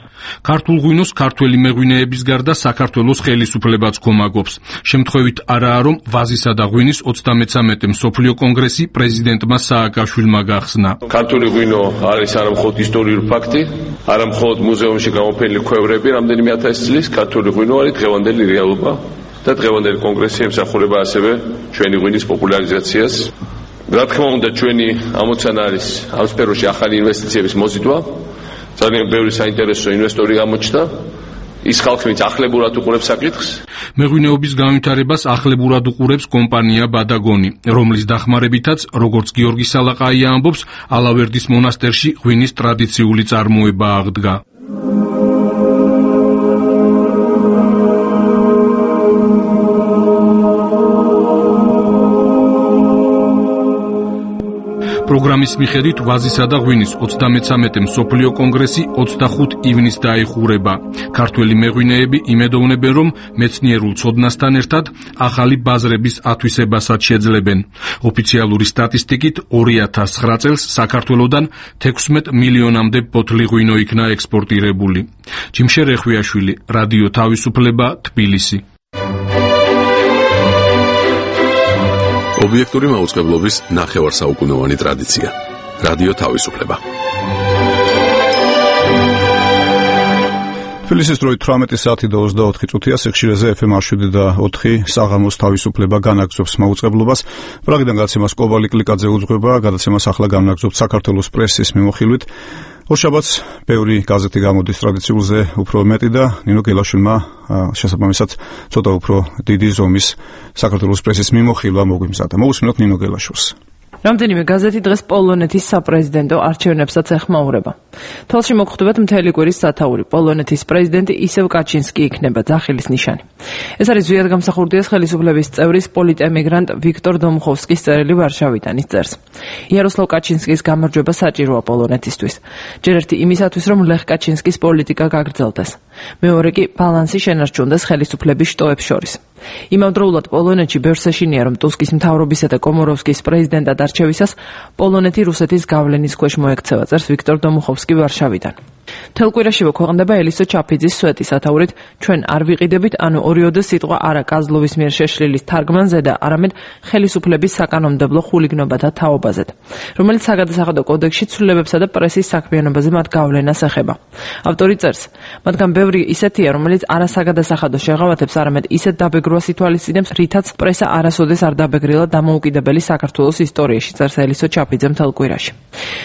ქართულ ღვინოს ქართველი მეღვინეების გარდა საქართველოს ხელისუფლებაც კომაგობს. შემთხვევით არაა, რომ ვაზისა და ღვინის ოცდამეცამეტე მსოფლიო კონგრესი პრეზიდენტმა სააკაშვილმა გახსნა. ქართული ღვინო არის არა მხოლოდ ისტორიული ფაქტი, არა მხოლოდ მუზეუმში გამოფენილი ქვევრები რამდენიმე ათასი წლის, ქართული ღვინო არის დღევანდელი რეალობა და დღევანდელი კონგრესი ემსახურება ასევე ჩვენი ღვინის პოპულარიზაციას. რა თქმა უნდა, ჩვენი ამოცანა არის ამ სფეროში ახალი ინვესტიციების მოზიდვა. ძალიან ბევრი საინტერესო ინვესტორი გამოჩნდა. ის ხალხი, ვინც ახლებურად უყურებს საკითხს. მეღვინეობის განვითარებას ახლებურად უყურებს კომპანია ბადაგონი, რომლის დახმარებითაც, როგორც გიორგი სალაყაია ამბობს, ალავერდის მონასტერში ღვინის ტრადიციული წარმოება აღდგა. პროგრამის მიხედვით ვაზისა და ღვინის ოცდამეცამეტე მსოფლიო კონგრესი ოცდახუთ ივნისს დაიხურება. ქართველი მეღვინეები იმედოვნებენ, რომ მეცნიერულ ცოდნასთან ერთად ახალი ბაზრების ათვისებასაც შეძლებენ. ოფიციალური სტატისტიკით ორი ათას ცხრა წელს საქართველოდან თექვსმეტ მილიონამდე ბოთლი ღვინო იქნა ექსპორტირებული. ჯიმშე რეხვიაშვილი, რადიო თავისუფლება, თბილისი. ობიექტური მაუწყებლობის ნახევარსაუკუნოვანი ტრადიცია. რადიო თავისუფლება. თბილისის დროით თვრამეტი საათი და ოცდაოთხი წუთია, სიხშირეზე ეფ ემ შვიდი და ოთხი საღამოს თავისუფლება განაგრძობს მაუწყებლობას. პრაღიდან გადაცემას კობალი კლიკაძე უძღვება, გადაცემას ახლა განაგრძობს საქართველოს პრესის მიმოხილვით. ორშაბათს ბევრი გაზეთი გამოდის ტრადიციულზე უფრო მეტი და ნინო გელაშვილმა შესაბამისად ცოტა უფრო დიდი ზომის საქართველოს პრესის მიმოხილვა მოგვიმზადა. მოვუსმინოთ ნინო გელაშვილს. რამდენიმე გაზეთი დღეს პოლონეთის საპრეზიდენტო არჩევნებსაც ეხმაურება. თვალში მოგხვდებათ მთელი კვირის სათაური. პოლონეთის პრეზიდენტი ისევ კაჩინსკი იქნება, ძახილის ნიშანი. ეს არის ზვიად გამსახურდიას ხელისუფლების წევრის პოლიტემიგრანტ ვიქტორ დომუხოვსკის წერილი ვარშავიდან. ის წერს: იაროსლავ კაჩინსკის გამარჯვება საჭიროა პოლონეთისთვის. ჯერ ერთი იმისათვის, რომ ლეხ კაჩინსკის პოლიტიკა გაგრძელდეს. მეორე კი ბალანსი შენარჩუნდეს ხელისუფლების შტოებს შორის. იმავდროულად პოლონეთში ბევრს ეშინია, რომ ტუსკის მთავრობისა და კომოროვსკის პრეზიდენტად არჩევისას პოლონეთი რუსეთის გავლენის ქვეშ მოექცევა, წერს ვიქტორ დომუხოვსკი ვარშავიდან. მთელ კვირაშივე ქვეყნდება ელისო ჩაფიძის სვეტი სათაურით ჩვენ არ ვიყიდებით, ანუ ორიოდე სიტყვა არა კაზლოვის მიერ შეშლილის თარგმანზე და არამედ ხელისუფლების საკანონმდებლო ხულიგნობათა თაობაზე, რომელიც საგადასახადო კოდექსში ცვლილებებსა და პრესის საქმიანობაზე მათ გავლენას ეხება. ავტორი წერს, მათგან ბევრი ისეთია, რომელიც არასაგადასახადო შეღავათებს, არამედ ისეთ დაბეგრვას ითვალისწინებს, რითაც პრესა არასოდეს არ დაბეგრილა დამოუკიდებელი საქართველოს ისტორიაში, წერს ელისო ჩაფიძე მთელ კვირაში.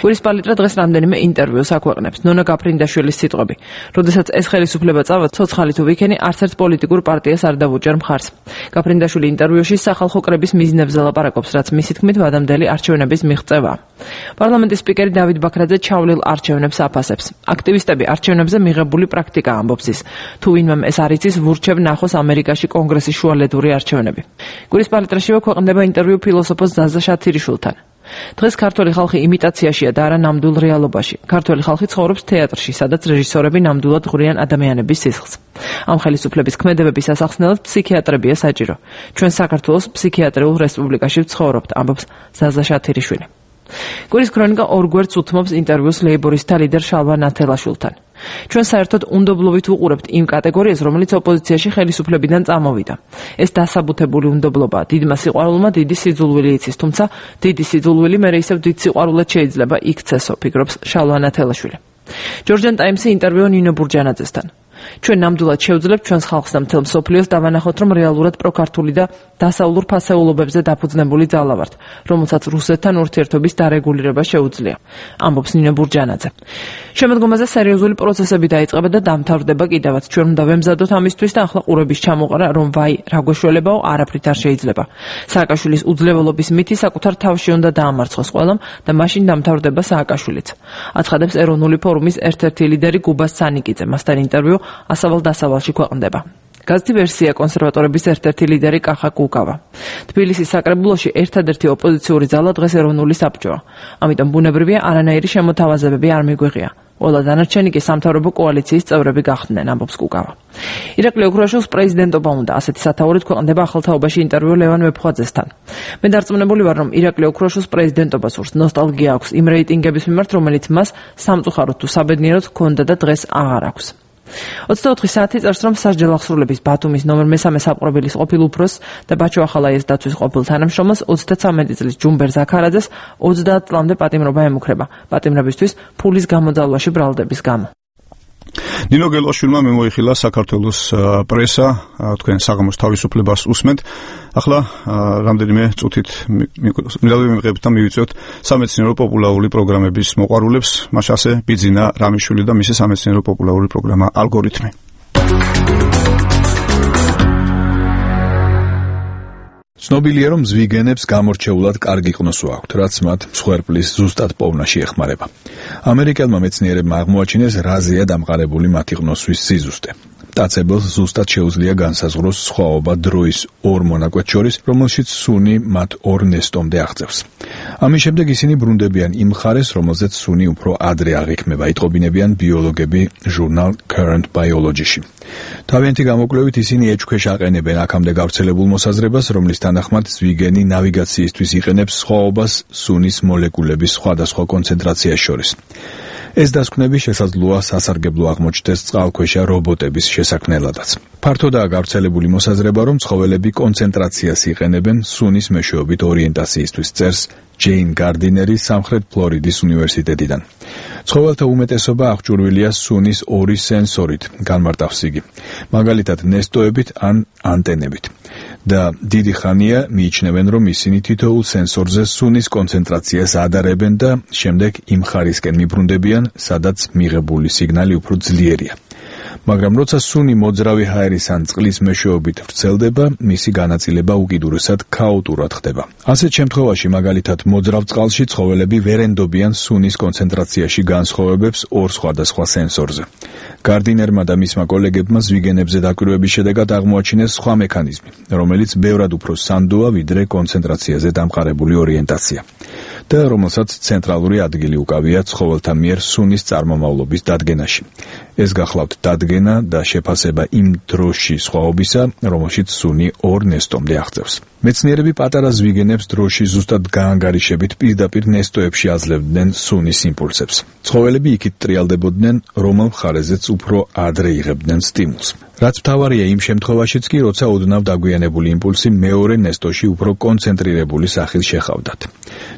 კვირის პალიტრა დღეს რამდენიმე ინტერვიუს აქვეყნებს. ნონა გაფრინდაშვილის სიტყვები: როდესაც ეს ხელისუფლება წავა, ცოცხალი თუ ვიქენი, არც ერთ პოლიტიკურ პარტიას არ დავუჭერ მხარს. გაფრინდაშვილი ინტერვიუში სახალხო კრების მიზნებზე ლაპარაკობს, რაც მისი თქმით ვადამდელი არჩევნების მიღწევაა. პარლამენტის სპიკერი დავით ბაქრაძე ჩავლილ არჩევნებს აფასებს. აქტივისტები არჩევნებზე მიღებული პრაქტიკა ამბობს ის. თუ ვინმემ ეს არ იცის, ვურჩევ ნახოს ამერიკაში კონგრესის შუალედური არჩევნები. კვირის პალიტრაშივე ქვეყნდება ინტერვიუ ფილოსოფოს ზაზა შათირიშვილთან. დღეს ქართველი ხალხი იმიტაციაშია და არა ნამდვილ რეალობაში. ქართველი ხალხი ცხოვრობს თეატრში, სადაც რეჟისორები ნამდვილად ღვრიან ადამიანების სისხლს. ამ ხელისუფლების ქმედებების ასახსნელად ფსიქიატრებია საჭირო. ჩვენ საქართველოს ფსიქიატრიულ რესპუბლიკაში ვცხოვრობთ, ამბობს ზაზა შათირიშვილი. კვირის ქრონიკა ორგვერდს უთმობს ინტერვიუს ლეიბორისტთა ლიდერ შალვა ნათელაშვილთან. ჩვენ საერთოდ უნდობლობით ვუყურებთ იმ კატეგორიას, რომელიც ოპოზიციაში ხელისუფლებიდან წამოვიდა. ეს დასაბუთებული უნდობლობაა. დიდმა სიყვარულმა დიდი სიძულვილი იცის, თუმცა დიდი სიძულვილი მერე ისევ დიდ სიყვარულად შეიძლება იქცესო, ფიქრობს შალვა ნათელაშვილი. ჯორჯან ტაიმსი ინტერვიუ ნინო ბურჯანაძესთან. ჩვენ ნამდვილად შევძლებთ ჩვენს ხალხს და მთელ მსოფლიოს დავანახოთ, რომ რეალურად პროქართული და დასავლურ ფასეულობებზე დაფუძნებული ძალა ვართ, რომელსაც რუსეთთან ურთიერთობის დარეგულირება შეუძლია, ამბობს ნინო ბურჯანაძე. შემოდგომაზე სერიოზული პროცესები დაიწყება და დამთავრდება კიდევაც. ჩვენ უნდა ვემზადოთ ამისთვის და ახლა ყურების ჩამოყარა, რომ ვაი, რა გვეშველებაო, არაფრით არ შეიძლება. სააკაშვილის უძლეველობის მითი საკუთარ თავში უნდა დაამარცხოს ყველამ და მაშინ დამთავრდება სააკაშვილიც. აცხადებს ეროვნული ფორუმის ერთ-ერთი ლიდერი გუბას სანიკიძე. მასთან ინტერვიუ ასავალ-დასავალში ქვეყნდება. გაზეთი ვერსია კონსერვატორების ერთ-ერთი ლიდერი კახა კუკავა. თბილისის საკრებულოში ერთადერთი ოპოზიციური ძალა დღეს ეროვნული საბჭოა. ამიტომ ბუნებრივია არანაირი შემოთავაზებები არ მიგვიღია. ყველა დანარჩენი კი სამთავრობო კოალიციის წევრები გახდნენ, ამბობს კუკავა. ირაკლი ოქროაშვილს პრეზიდენტობა უნდა, ასეთი სათაურით ქვეყნდება ახალთაობაში ინტერვიუ ლევან მეფხვაძესთან. მე დარწმუნებული ვარ, რომ ირაკლი ოქროაშვილს პრეზიდენტობა სურს. ნოსტალგია აქვს იმ რეიტინგების მიმართ, რომელიც მას სამწუხაროდ თუ საბედნიეროდ ჰქონდა და დღეს აღარ აქვს. ოცდაოთხი საათი წერს, რომ სასჯელ აღსრულების ბათუმის ნომერ მესამე საპყრობილის ყოფილ უფროსს და ბაჩო ახალაიას დაცვის ყოფილ თანამშრომელს ოცდათვრამეტი წლის ჯუმბერ ზაქარაძეს ოცდაათ წლამდე პატიმრობა ემუქრება. პატიმრებისთვის ფულის გამოძალვაში ბრალდების გამო. ნინო გელაშვილმა მიმოიხილა საქართველოს პრესა, თქვენ საღამოს თავისუფლებას უსმენთ. ახლა რამდენიმე წუთით მივიღებთ და მივიწვევთ სამეცნიერო პოპულარული პროგრამების მოყვარულებს, მაშასე ბიძინა რამიშვილი და მისი სამეცნიერო პოპულარული პროგრამა ალგორითმი. ცნობილია, რომ ზვიგენებს გამორჩეულად კარგი ყნოსვა აქვთ, რაც მათ მსხვერპლის ზუსტად პოვნაში ეხმარება. ამერიკელმა მეცნიერებმა აღმოაჩინეს რაზეა დამყარებული მათი ყნოსვის სიზუსტე. მტაცებელს ზუსტად შეუძლია განსაზღვროს სხვაობა დროის ორ მონაკვეთს შორის, რომელშიც სუნი მათ ორ ნესტომდე აღწევს. ამის შემდეგ ისინი ბრუნდებიან იმ მხარეს, რომელზეც სუნი უფრო ადრე აღიქმება, იტყობინებიან ბიოლოგები ჟურნალ Current Biology-ში. თავიანთი გამოკვლევით ისინი ეჭქვეშ აყენებენ აქამდე გავრცელებულ მოსაზრებას, რომლის თანახმად ზვიგენი ნავიგაციისთვის იყენებს სხვაობას სუნის მოლეკულების სხვადასხვა კონცენტრაციას შორის. ეს დასკვნები შესაძლოა სასარგებლო აღმოჩნდეს წყალქვეშა რობოტების შესაქმნელადაც. ფართოდაა გავრცელებული მოსაზრება, რომ ცხოველები კონცენტრაციას იყენებენ სუნის მეშვეობით ორიენტაციისთვის, წერს ჯეინ გარდინერი სამხრეთ ფლორიდის უნივერსიტეტიდან. ცხოველთა უმეტესობა აღჭურვილია სუნის ორი სენსორით, განმარტავს იგი, მაგალითად ნესტოებით ან ანტენებით. და დიდი ხანია მიიჩნევენ, რომ ისინი თითოეულ სენსორზე სუნის კონცენტრაციას ადარებენ და შემდეგ იმ ხარისკენ მიბრუნდებიან, სადაც მიღებული სიგნალი უფრო ძლიერია. მაგრამ როცა სუნი მოძრავი ჰაერის ან წყლის მეშვეობით ვრცელდება, მისი განაწილება უკიდურესად ქაოტურად ხდება. ასეთ შემთხვევაში, მაგალითად, მოძრავ წყალში ცხოველები ვერ ენდობიან სუნის კონცენტრაციაში განსხვავებებს ორ სხვადასხვა სენსორზე. გარდინერმა და მისმა კოლეგებმა ზვიგენებზე დაკვირვების შედეგად აღმოაჩინეს სხვა მექანიზმი, რომელიც ბევრად უფრო სანდოა, ვიდრე კონცენტრაციაზე დამყარებული ორიენტაცია და რომელსაც ცენტრალური ადგილი უკავია ცხოველთა მიერ სუნის წარმომავლობის დადგენაში. ეს გახლავთ დადგენა და შეფასება იმ დროში სხვაობისა, რომელშიც სუნი ორ ნესტომდე აღწევს. მეცნიერები პატარა ზვიგენებს დროში ზუსტად გაანგარიშებით პირდაპირ ნესტოებში აძლევდნენ სუნის იმპულსებს. ცხოველები იქით ტრიალდებოდნენ, რომელ მხარეზეც უფრო ადრე იღებდნენ სტიმულს. რაც მთავარია იმ შემთხვევაშიც კი, როცა ოდნავ დაგვიანებული იმპულსი მეორე ნესტოში უფრო კონცენტრირებული სახით შეხავდათ.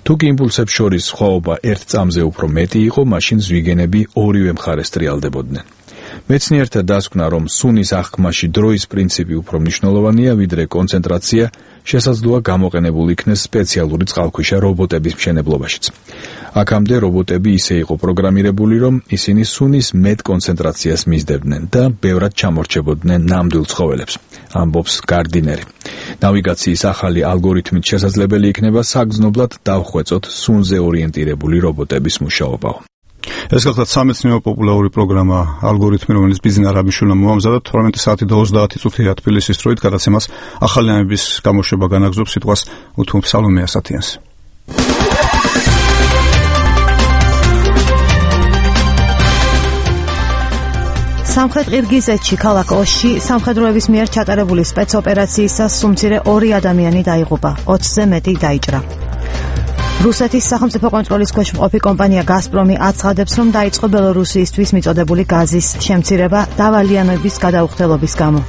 თუ კი იმპულსებს შორის სხვაობა ერთ წამზე უფრო მეტი იყო, მაშინ ზვიგენები ორივე მხარეს ტრიალდებოდნენ. მეცნიერთა დასკვნა, რომ სუნის აღქმაში დროის პრინციპი უფრო მნიშვნელოვანია, ვიდრე კონცენტრაცია, შესაძლოა გამოყენებულ იქნეს სპეციალური წყალქვეშა რობოტების მშენებლობაშიც. აქამდე რობოტები ისე იყო პროგრამირებული, რომ ისინი სუნის მეტ კონცენტრაციას მისდევდნენ და ბევრად ჩამორჩებოდნენ ნამდვილ ცხოველებს, ამბობს გარდინერი. ნავიგაციის ახალი ალგორითმით შესაძლებელი იქნება საგრძნობლად დავხვეწოთ სუნზე ორიენტირებული რობოტების მუშაობაო. ეს გახლავთ სამეცნიერო პოპულარული პროგრამა ალგორითმი, რომელიც ბიზნეს არაბიშვილმა მოამზადა თორმეტი საათი და ოცდაათი წუთია თბილისის დროით, გადაცემას ახალი ამების გამოშვება განაგზობს სიტყვას უთუმ სალომე ასათიანს. სამხრეთ ყირგიზეთში ქალაქ ოში სამხედროების მიერ ჩატარებული სპეცოპერაციისას სუმცირე ორი ადამიანი დაიღუპა, ოცზე მეტი დაიჭრა. რუსეთის სახელმწიფო კონტროლის ქვეშ მყოფი კომპანია გაზპრომი აცხადებს, რომ დაიწყო ბელორუსიისთვის მიწოდებული გაზის შემცირება დავალიანების გადაუხდელობის გამო.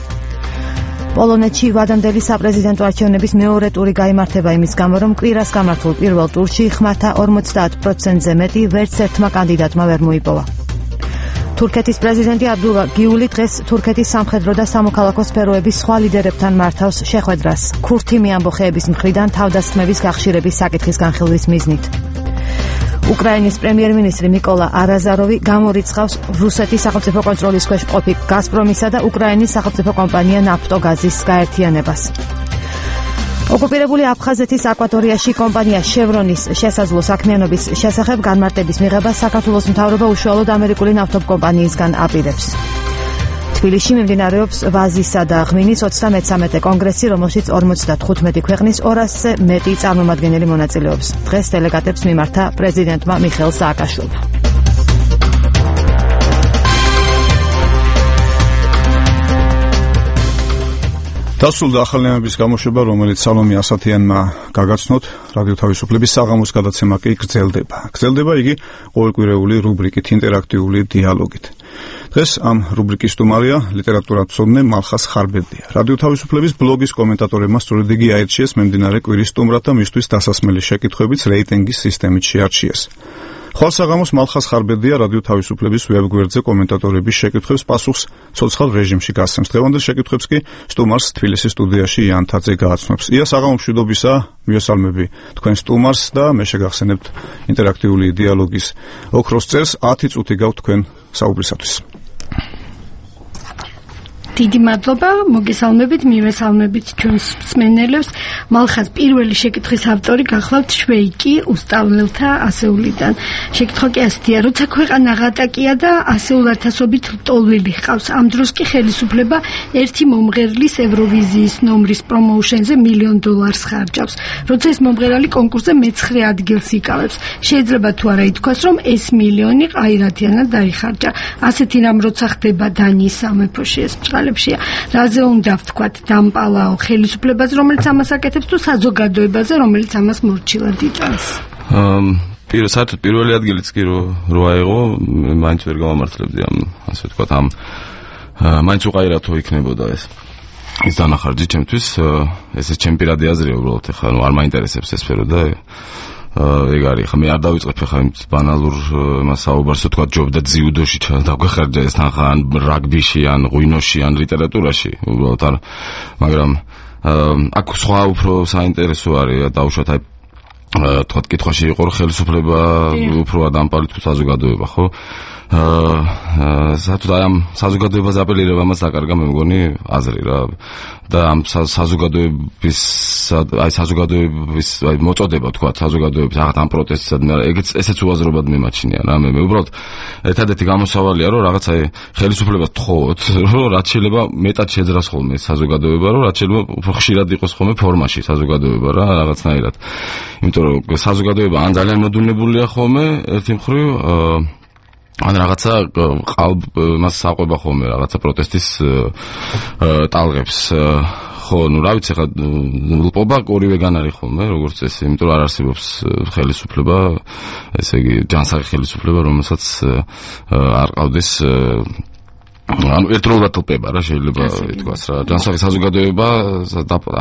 პოლონეთში ვადამდელი საპრეზიდენტო არჩევნების მეორე ტური გაიმართება იმის გამო, რომ კვირას გამართულ პირველ ტურში ხმათა ორმოცდაათ პროცენტზე მეტი ვერც ერთმა კანდიდატმა ვერ მოიპოვა. თურქეთის პრეზიდენტი აბდულა გიული დღეს თურქეთის სამხედრო და სამოქალაქო სფეროების სხვა ლიდერებთან მართავს შეხვედრას ქურთი ამბოხეების მხრიდან თავდასხმების გახშირების საკითხის განხილვის მიზნით. უკრაინის პრემიერ-მინისტრი მიკოლა არაზაროვი გამორიცხავს რუსეთის სახელმწიფო კონტროლის ქვეშ მყოფი გაზპრომისა და უკრაინის სახელმწიფო კომპანია ნაფტოგაზის გაერთიანებას. ოკუპირებული აფხაზეთის აკვატორიაში კომპანია შევრონის შესაძლო საქმიანობის შესახებ განმარტების მიღება საქართველოს მთავრობა უშუალოდ ამერიკული ნავთობკომპანიისგან აპირებს. თბილისში მიმდინარეობს ვაზისა და ღვინის ოცდამეცამეტე კონგრესი, რომელშიც ორმოცდათხუთმეტი ქვეყნის ორასზე მეტი წარმომადგენელი მონაწილეობს. დღეს დელეგატებს მიმართა პრეზიდენტმა მიხეილ სააკაშვილმა. დასრულდა ახალი ამების გამოშვება, რომელიც სალომე ასათიანმა გაგაცნოთ. რადიო თავისუფლების საღამოს გადაცემა კი გრძელდება. გრძელდება იგი ყოველკვირეული რუბრიკით ინტერაქტიული დიალოგით. დღეს ამ რუბრიკის სტუმარია ლიტერატურათმცოდნე მალხას ხარბელდია. რადიო თავისუფლების ბლოგის კომენტატორებმა სწორედ იგი აირჩიეს მიმდინარე კვირის სტუმრად და მისთვის დასასმელი შეკითხვებიც რეიტინგის სისტემით შეარჩიეს. ხვალ საღამოს მალხას ხარბელდია რადიო თავისუფლების ვებგვერდზე კომენტატორების შეკითხვებს პასუხს ცოცხალ რეჟიმში გასცემს. დღევანდელ შეკითხვებს კი სტუმარს თბილისის სტუდიაში იან თაძე გააცნობს. ია, საღამო მშვიდობისა, მიესალმები თქვენ სტუმარს და მე შეგახსენებთ ინტერაქტიული დიალოგის ოქროს წერს. ათი წუთი გაქვთ თქვენ საუბრისათვის. დიდი მადლობა, მოგესალმებით, მივესალმებით ჩვენს მსმენელებს. მალხას პირველი შეკითხვის ავტორი გახლავთ შვეიკი უსწავლელთა ასეულიდან. შეკითხვა კი ასეთია, როცა ქვეყანა ღატაკია და ასეულათასობით ლტოლვილი ჰყავს, ამ დროს კი ხელისუფლება ერთი მომღერლის ევროვიზიის ნომრის პრომოუშენზე მილიონ დოლარს ხარჯავს. როცა ეს მომღერალი კონკურსზე მეცხრე ადგილს იკავებს, შეიძლება თუ არა ითქვას, რომ ეს მილიონი ყაირათიანად დაიხარჯა. ასეთი რამ როცა ხდება დანიის სამეფოში, ეს რაზე უნდა ვთქვათ დამპალაო ხელისუფლებას, რომელიც ამას აკეთებს, თუ საზოგადოებაზე, რომელიც ამას მორჩილად იტანს? პირველ საერთოდ პირველი ადგილიც კი რო აიღო, მაინც ვერ გამამართლებდი ამ, ასე ვთქვათ, ამ მაინც უყაირათო იქნებოდა ეს. ის დანახარჯი ჩემთვის, ესე ჩემი პირადი აზრია უბრალოდ, ეხლა ნუ არ მაინტერესებს ეს სფერო და ეგ არის, ხა მე არ დავიწყებ ხა იმ ბანალურ იმას საუბარს, თქვა ჯობდა ძიუდოში დაგვეხარჯა ეს თანხა ან რაგბიში, ან ღვინოში, ან ლიტერატურაში, უბრალოდ არ, მაგრამ აქ სხვა უფრო საინტერესო არის დაუშვათ აი თქვა კითხვაში იყო რომ ხელისუფლება უფრო ადამპალი თუ საზოგადოება, ხო? აა საერთოდ აი ამ საზოგადოებას აპელირება მას დაკარგა მე მგონი აზრი რა და ამ საზოგადოების აი საზოგადოების აი მოწოდება თქვა საზოგადოების რაღაც ამ პროტესტად ეგეც ესეც უაზრობად მიმაჩნია რა მე მე უბრალოდ ერთადერთი გამოსავალია რომ რაღაც აი ხელისუფლებას თხოვოთ რომ რაც შეიძლება მეტად შეძრას ხოლმე საზოგადოება რომ რაც შეიძლება უფრო ხშირად იყოს ხოლმე ფორმაში საზოგადოება რა რაღაცნაირად იმიტომ რომ საზოგადოება ან ძალიან მოდუნებულია ხოლმე ერთი მხრივ ან რაღაცა ყალბ მას საყვება ხოლმე რაღაცა პროტესტის ტალღებს ხო ნუ რა ვიცი ხა ლპობა ორივეგან არის ხოლმე როგორც წესი იმიტომ რომ არ არსებობს ხელისუფლება ესე იგი ჯანსაღი ხელისუფლება რომელსაც არ ყავდეს ანუ ერთდროულად თლპება რა შეიძლება ითქვას რა ჯანსაღი საზოგადოება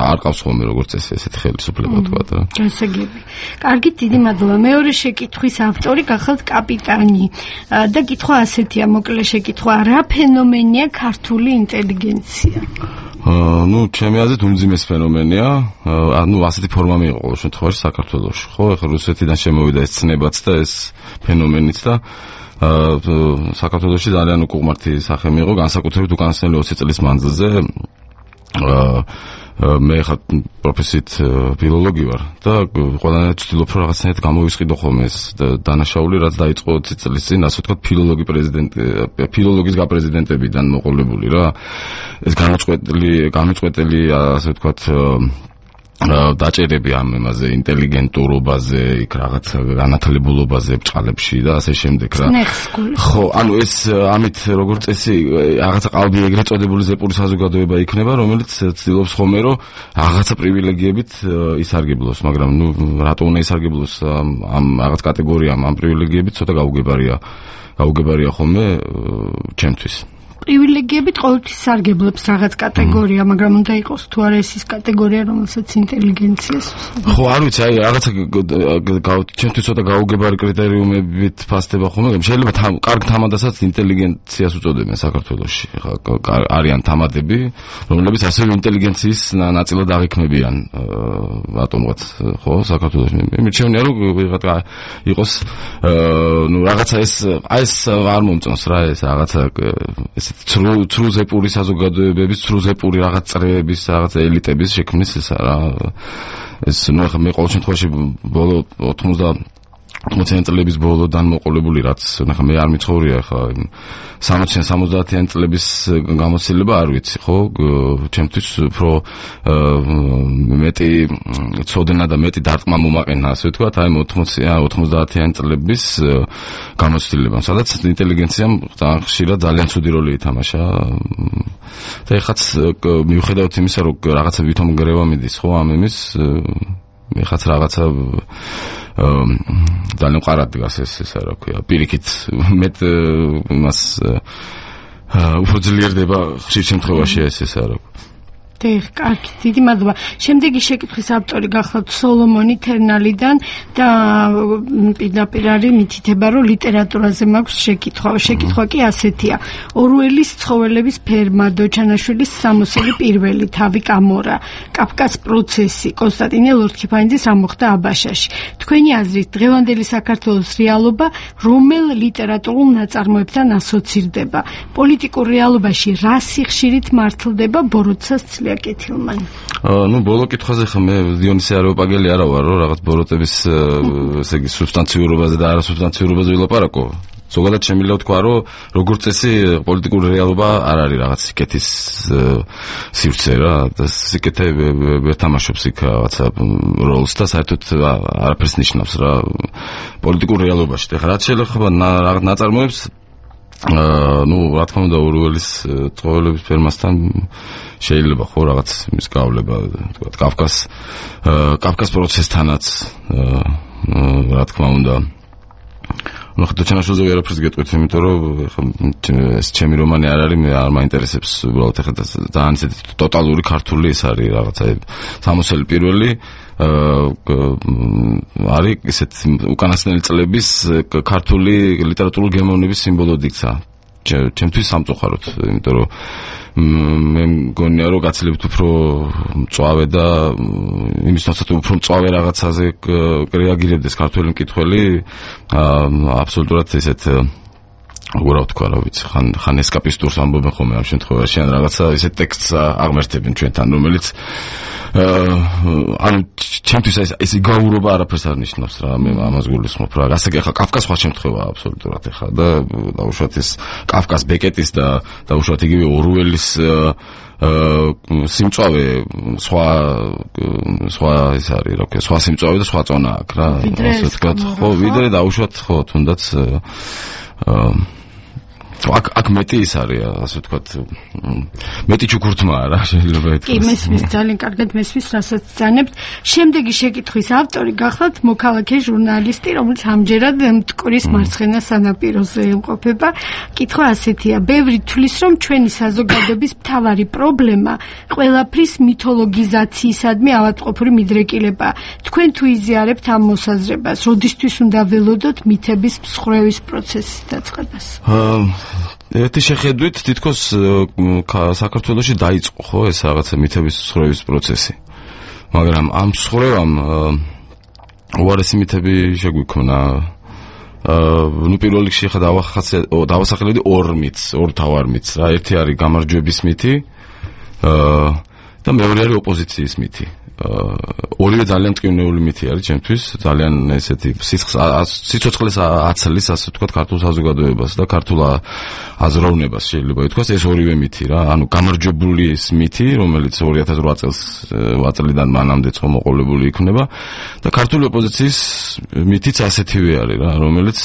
არ ყავს ხოლმე როგორც წესი ესეთი ხელისუფლება თქვა რა განსაგები კარგი დიდი მადლობა მეორე შეკითხვის ავტორი გახალთ კაპიტანი და კითხვა ასეთია მოკლე შეკითხვა რა ფენომენია ქართული ინტელიგენცია ну, ჩემი აზრით უმძიმეს ფენომენია, ანუ ასეთი ფორმა მიიღო ყოველ შემთხვევაში საქართველოში, ხო? ეხლა რუსეთიდან შემოვიდა ეს ცნებაც და ეს ფენომენიც და საქართველოში ძალიან უკუღმართი სახე მიიღო, განსაკუთრებით უკანასკნელი ოცი წლის მანძილზე. მე ხარ პროფესიით ფილოლოგი ვარ და ყველანაირად ვცდილობ რომ რაღაცნაირად გამოვისყიდო ხოლმე ეს დანაშაული რაც დაიწყო ოცი წლის წინ ასე ვთქვათ ფილოლოგი პრეზიდენტი ფილოლოგის გაპრეზიდენტებიდან მოყოლებული რა ეს განუწყვეტელი განუწყვეტელი ასე ვთქვათ დაჭერები ამ იმაზე ინტელიგენტურობაზე, იქ რაღაც განათლებულობაზე ბჭყალებში და ასე შემდეგ რა. ხო, ანუ ეს ამით როგორც წესი რაღაცა ყალბი ეგრეთ წოდებული ზეპური საზოგადოება იქნება, რომელიც ცდილობს ხოლმე რომ რაღაცა პრივილეგიებით ისარგებლოს, მაგრამ ნუ რატო უნდა ისარგებლოს ამ რაღაც კატეგორიამ, ამ პრივილეგიებით ცოტა გაუგებარია. გაუგებარია ხოლმე ჩემთვის. პრივილეგიებით ყოველთვის სარგებლობს რაღაც კატეგორია, მაგრამ უნდა იყოს თუ არა ეს ის კატეგორია, რომელსაც ინტელიგენციას. ხო, არ ვიცი, აი რაღაცა ჩემთვის ცოტა გაუგებარი კრიტერიუმებით ფასდება ხოლმე, შეიძლება კარგ თამადასაც ინტელიგენციას უწოდებენ საქართველოში. ხა არიან თამადები, რომლებიც ასევე ინტელიგენციის ნაწილად აღიქმებიან ატომღაც, ხო, საქართველოში. მე მირჩევნია რომ ვიღაცა იყოს ნუ რაღაცა ეს აი ეს არ მომწონს რა ეს რაღაცა ეს ცრუ ზეპური საზოგადოებების, ცრუ ზეპური რაღაც წრეების, რაღაც ელიტების შექმნის ესა რა. ეს ნუ ახლა მე ყოველ შემთხვევაში ბოლო ოცდაათი წლების ბოლოდან მოყოლებული რაც ნახე მე არ მიცხოვრია ხა სამოციან სამოცდაათიან წლების გამოცდილება არ ვიცი ხო ჩემთვის უფრო მეტი ცოდნა და მეტი დარტყმა მომაყენა ასე ვთქვათ აი ოთხმოციან ოცდაათიან წლების გამოცდილება სადაც ინტელიგენციამ ხშირად ძალიან ცუდი როლი ითამაშა და ეხაც მიუხედავად იმისა რომ რაღაცა ვითომ გრევა მიდის ხო ამ იმის ეხაც რაღაცა ძალიან ყარად დგას ეს ესა რა ქვია პირიქით მეტ იმას უფრო ძლიერდება ხშირ შემთხვევაში ეს ესა რა დიახ, კარგი, დიდი მადლობა. შემდეგი შეკითხვის ავტორი გახლავთ სოლომონი თერნალიდან და პირდაპირ არის მითითება, რომ ლიტერატურაზე მაქვს შეკითხვა. შეკითხვა კი ასეთია. ორუელის ცხოველების ფერმა, დოჩანაშვილის სამოსელი პირველი, თავი კამორა, კაფკას პროცესი, კონსტანტინე ლორთქიფანიძის რა მოხდა აბაშაში. თქვენი აზრით, დღევანდელი საქართველოს რეალობა რომელ ლიტერატურულ ნაწარმოებთან ასოცირდება? პოლიტიკურ რეალობაში რა სიხშირით მართლდება ბოროტსას აკეთილმან. ну ბოლო კითხვაზე ხა მე დიონისე არაოპაგელი არა ვარ რომ რაღაც ბოროტების ესე იგი სუბსტანციურობაზე და არასუბსტანციურობაზე ვილაპარაკო. ზოგადად შემიძლია ვთქვა რომ როგორც წესი პოლიტიკური რეალობა არ არის რაღაც სიკეთის სივრცე რა და სიკეთე ვერ თამაშობს იქ რაღაცა როლს და საერთოდ არაფერს ნიშნავს რა პოლიტიკურ რეალობაში. ეხლა რაც შეიძლება რაღაც ნაწარმოებს ну, რა თქმა უნდა, ორუელის ცხოველების ფერმასთან შეიძლება ხო რაღაც მის გავლება, თქვა კაფკას კაფკას პროცესთანაც რა თქმა უნდა. ну, ხა დოჩანაშვილზე ვერაფერს გეტყვით, იმიტომ რომ ეს ჩემი რომანი არ არის, მე არ მაინტერესებს უბრალოდ ეხლა ძალიან ისეთი ტოტალური ქართული ეს არის რაღაცა სამოსელი პირველი არის ესეთ უკანასკნელი წლების ქართული ლიტერატურული გემოვნების სიმბოლოდ იქცა. ჩემთვის სამწუხაროდ, იმიტომ რომ მე მგონია რომ გაცილებით უფრო მწვავე და იმის თვალსაჩინო უფრო მწვავე რაღაცაზე რეაგირებდეს ქართველი მკითხველი აბსოლუტურად ესეთ როგორ ვთქვა, რა ვიცი, ხან ხან ესკაპისტურს ამბობენ ხოლმე ამ შემთხვევაში, ან რაღაცა ისე ტექსტს აღმერთებენ ჩვენთან, რომელიც ანუ ჩემთვის ეს ეს გაურობა არაფერს არ ნიშნავს რა, მე ამას გულისხმობ რა. ასე კი ხა კაფკას სხვა შემთხვევაა აბსოლუტურად ეხა და დაუშვათ ეს კაფკას ბეკეტის და დაუშვათ იგივე ორუელის სიმწავე სხვა სხვა ის არის რა ვქო, სხვა სიმწავე და სხვა წონა აქვს რა, ასე ვთქვათ, ხო, ვიდრე დაუშვათ ხო, თუნდაც აქ აქ მეტი ის არის, ასე ვთქვათ, მეტი ჩუქურთმაა რა, შეიძლება ეთქოს. კი, მესმის ძალიან კარგად მესმის, რასაც ძანებთ. შემდეგი შეკითხვის ავტორი გახლავთ მოქალაქე ჟურნალისტი, რომელიც ამჯერად მტკვრის მარცხენა სანაპიროზე იმყოფება. კითხვა ასეთია: ბევრი თვლის, რომ ჩვენი საზოგადოების მთავარი პრობლემა ყველაფრის მითოლოგიზაციისადმი ავადმყოფური მიდრეკილებაა. თქვენ თუ იზიარებთ ამ მოსაზრებას, როდისთვის უნდა ველოდოთ მითების მსხვერპლის პროცესის დაწყებას? ერთი შეხედვით თითქოს საქართველოში დაიწყო ხო ეს რაღაცა მითების მსხვერპლის პროცესი, მაგრამ ამ მსხვერპლამ უარესი მითები შეგვიქმნა. ნუ პირველ რიგში ხა დავასახელებდი ორ მითს, ორ თავარ მითს რა. ერთი არის გამარჯვების მითი და მეორე არის ოპოზიციის მითი. ორივე ძალიან მტკივნეული მითი არის ჩემთვის, ძალიან ესეთი სიცოცხლეს აცლის, ასე ვთქვათ, ქართულ საზოგადოებას და ქართულ აზროვნებას შეიძლება ითქვას, ეს ორივე მითი რა. ანუ გამარჯვებული ის მითი, რომელიც ორი ათას რვა წელს წლიდან მანამდე მოყოლებული იქნება და ქართული ოპოზიციის მითიც ასეთივე არის რა, რომელიც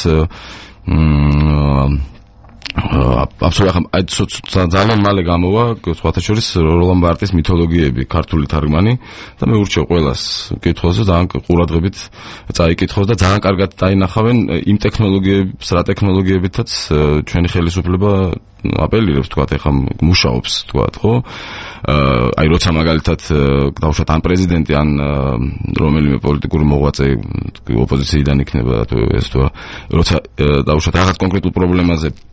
აბსოლუტურად ძალიან მალე გამოვა სხვათა შორის როლან ბარტის მითოლოგიები, ქართული თარგმანი და მე ურჩევ ყველას კითხავს და ძალიან ყურადღებით წაიკითხოს და ძალიან კარგად დაინახავენ იმ ტექნოლოგიებს, რა ტექნოლოგიებითაც ჩვენი ხელისუფლება აპელირებს, თქვათ, ეხლა მუშაობს, თქვათ, ხო? აი როცა მაგალითად დავუშვათ ან პრეზიდენტი ან რომელიმე პოლიტიკური მოღვაწე ოპოზიციიდან იქნება ეს თუ როცა დავუშვათ რაღაც კონკრეტულ პრობლემაზე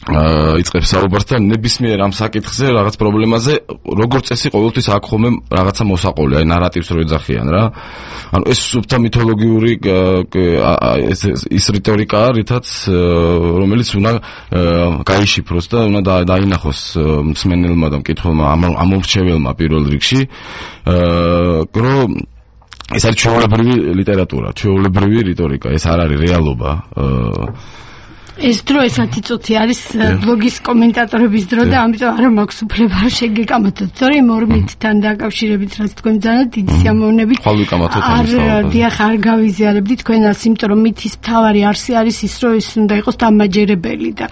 იწყებს საუბარს და ნებისმიერ ამ საკითხზე რაღაც პრობლემაზე როგორც წესი ყოველთვის აქ ხოლმე რაღაცა მოსაყოლე, აი ნარატივს რო ეძახიან რა. ანუ ეს სუფთა მითოლოგიური ის რიტორიკაა, რითაც რომელიც უნდა გაიშიფროს და უნდა დაინახოს მსმენელმა და მკითხველმა, ამომრჩეველმა პირველ რიგში, რომ ეს არის ჩვეულებრივი ლიტერატურა, ჩვეულებრივი რიტორიკა, ეს არ არის რეალობა. ეს დრო ეს ათი წუთი არის ბლოგის კომენტატორების დრო და ამიტომ არ მაქვს უფლება შეგეკამათოთ. თორე იმ ორ მითთან დაკავშირებით რაც თქვენ ძალიან დიდი სიამოვნებით არ დიახ არ გავიზიარებდი თქვენას, იმიტომ რომ მითის მთავარი არსი არის ის, რომ ის უნდა იყოს დამაჯერებელი და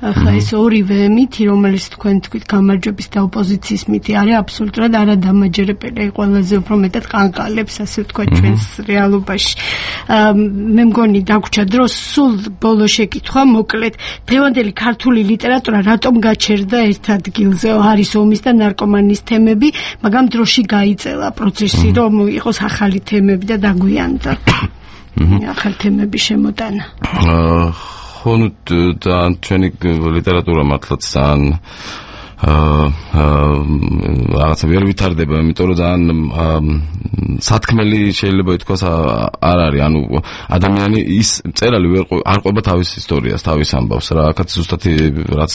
ახლა ეს ორივე მითი, რომელიც თქვენ თქვით გამარჯვების და ოპოზიციის მითი არის აბსოლუტურად არადამაჯერებელი, ყველაზე უფრო მეტად ყანყალებს, ასე ვთქვათ, ჩვენს რეალობაში. მე მგონი დაგვრჩა დრო სულ ბოლო შეკითხვა მოკლედ, დღევანდელი ქართული ლიტერატურა რატომ გაჩერდა ერთ ადგილზე? არის ომის და ნარკომანიის თემები, მაგრამ დროში გაიწელა პროცესი, რომ იყოს ახალი თემები და დაგვიანდა ახალი თემების შემოტანა. ხო, ნუ ჩვენი ლიტერატურა მართლაც ძალიან რაღაცა ვერ ვითარდება, იმიტომ რომ ძალიან სათქმელი შეიძლება ითქვას არ არის, ანუ ადამიანი ის წერალი არ ყვება თავის ისტორიას, თავის ამბავს რა. აქაც ზუსტად რაც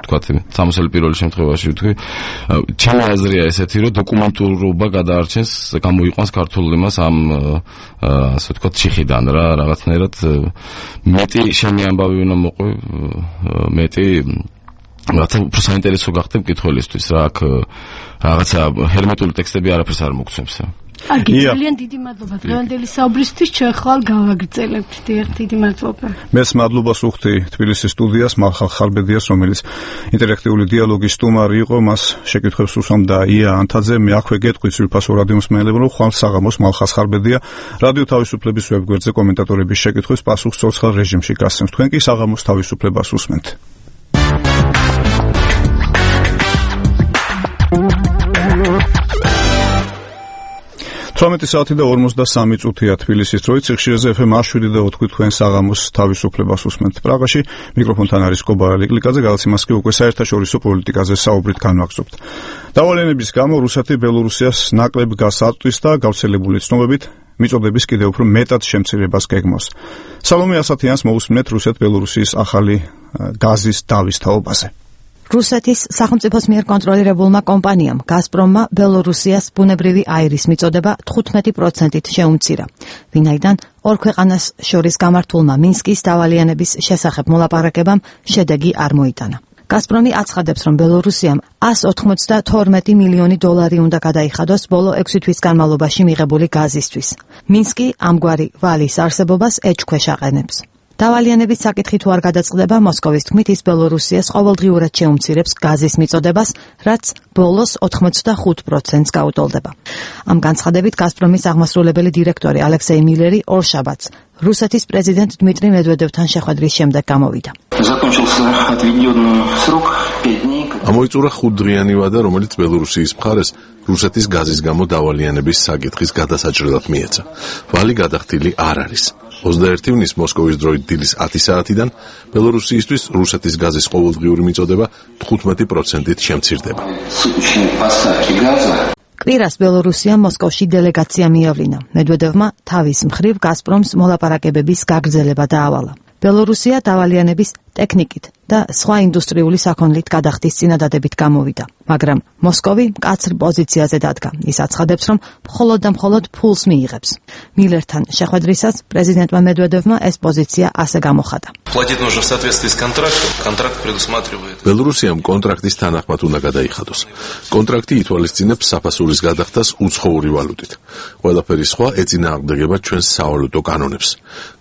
თქვათ სამოსელი პირველი შემთხვევაში ვთქვი, ჩემი აზრია ესეთი, რომ დოკუმენტურობა გადაარჩენს, გამოიყვანს ქართულ იმას ამ ასე ვთქვათ ციხიდან რა, რაღაცნაირად მეტი შენი ამბავი უნდა მოყვე, მეტი რაღაცა უფრო საინტერესო გახდა მკითხველისთვის რა. აქ რაღაცა ჰერმეტული ტექსტები არაფერს არ მოგცემს. კარგი, ძალიან დიდი მადლობა დღევანდელი საუბრისთვის, ჩვენ ხვალ გავაგრძელებთ. დიდი მადლობა. მეც მადლობას ვუხდი თბილისის სტუდიას, მალხალ ხარბედიას, რომელიც ინტერაქტიული დიალოგის სტუმარი იყო, მას შეკითხვებს უსვამდა ია ანთაძე. მე აქვე გეტყვით სრულფასო რადიო მსმენელებო, ხვალ საღამოს მალხალ ხარბედია რადიო თავისუფლების ვებგვერდზე კომენტატორების შეკითხვის პასუხს ცოცხალ რეჟიმში გასცემს. თქვენ კი საღამოს თავისუფლებას უსმენთ. თვრამეტი საათი და ორმოცდასამი წუთია თბილისის დროით, ციხშირეზე ეფ ემ შვიდი და ოთხი თქვენ საღამოს თავისუფლებას უსმენთ. პრაღაში მიკროფონთან არის კობარა ლიკლიკაძე, გადაცემას კი უკვე საერთაშორისო პოლიტიკაზე საუბრით განვაგრძობთ. დავალენების გამო რუსეთი ბელორუსიას ნაკლებ გასაწვდის და გავრცელებული ცნობებით მიწოდების კიდევ უფრო მეტად შემცირებას გეგმავს. სალომე ასათიანს მოусმინეთ რუსეთ-ბელორუსიის ახალი გაზის დავის თაობაზე. რუსეთის სახელმწიფოს მიერ კონტროლირებულმა კომპანიამ გაზპრომმა ბელორუსიას ბუნებრივი აირის მიწოდება თხუთმეტი პროცენტით შეუმცირა, ვინაიდან ორ ქვეყანას შორის გამართულმა მინსკის დავალიანების შესახებ მოლაპარაკებამ შედეგი არ მოიტანა. გაზპრომი აცხადებს, რომ ბელორუსიამ εκατს ოცდათორმეტი მილიონი დოლარი უნდა გადაიხადოს ბოლო ექვსი თვის განმავლობაში მიღებული გაზისთვის. მინსკი ამგვარი ვალის არსებობას ეჭქვეშ აყენებს. დავალიანების საკითხი თუ არ გადაწყდება, მოსკოვის თქმით, ის ბელორუსიას ყოველდღიურად შეუმცირებს გაზის მიწოდებას, რაც ბოლოს ოცდახუთ პროცენტს გაუტოლდება. ამ განცხადებით გაზპრომის აღმასრულებელი დირექტორი ალექსეი მილერი ორშაბათს რუსეთის პრეზიდენტ დმიტრი მედვედევთან შეხვედრის შემდეგ გამოვიდა. ამოიწურა ხუთდღიანი ვადა, რომელიც ბელორუსიის მხარეს რუსეთის გაზის გამო დავალიანების საკითხის გადასაჭრელად მიეცა. ვალი გადახდილი არ არის. ოცდაერთი ივნის მოსკოვის დროით დილის ათი საათიდან ბელორუსიისთვის რუსეთის გაზის ყოველდღიური მიწოდება თხუთმეტი პროცენტით შემცირდება. კვირას ბელორუსია მოსკოვში დელეგაცია მიავლინა. მედვედევმა თავის მხრივ გაზპრომს მოლაპარაკებების გაგრძელება დაავალა. ბელორუსია დავალიანების ტექნიკით და სხვა ინდუსტრიული საქონლით გადახდის წინადადებით გამოვიდა, მაგრამ მოსკოვი მკაცრ პოზიციაზე დადგა. ის აცხადებს, რომ მხოლოდ და მხოლოდ ფულს მიიღებს. მილერთან შეხვედრისას პრეზიდენტმა მედვედევმა ეს პოზიცია ასე გამოხატა. ბელორუსიამ კონტრაქტის თანახმად უნდა გადაიხადოს. კონტრაქტი ითვალისწინებს საფასურის გადახდას უცხოური ვალუტით. ყველაფერი სხვა ეწინააღმდეგება ჩვენს სავალუტო კანონებს.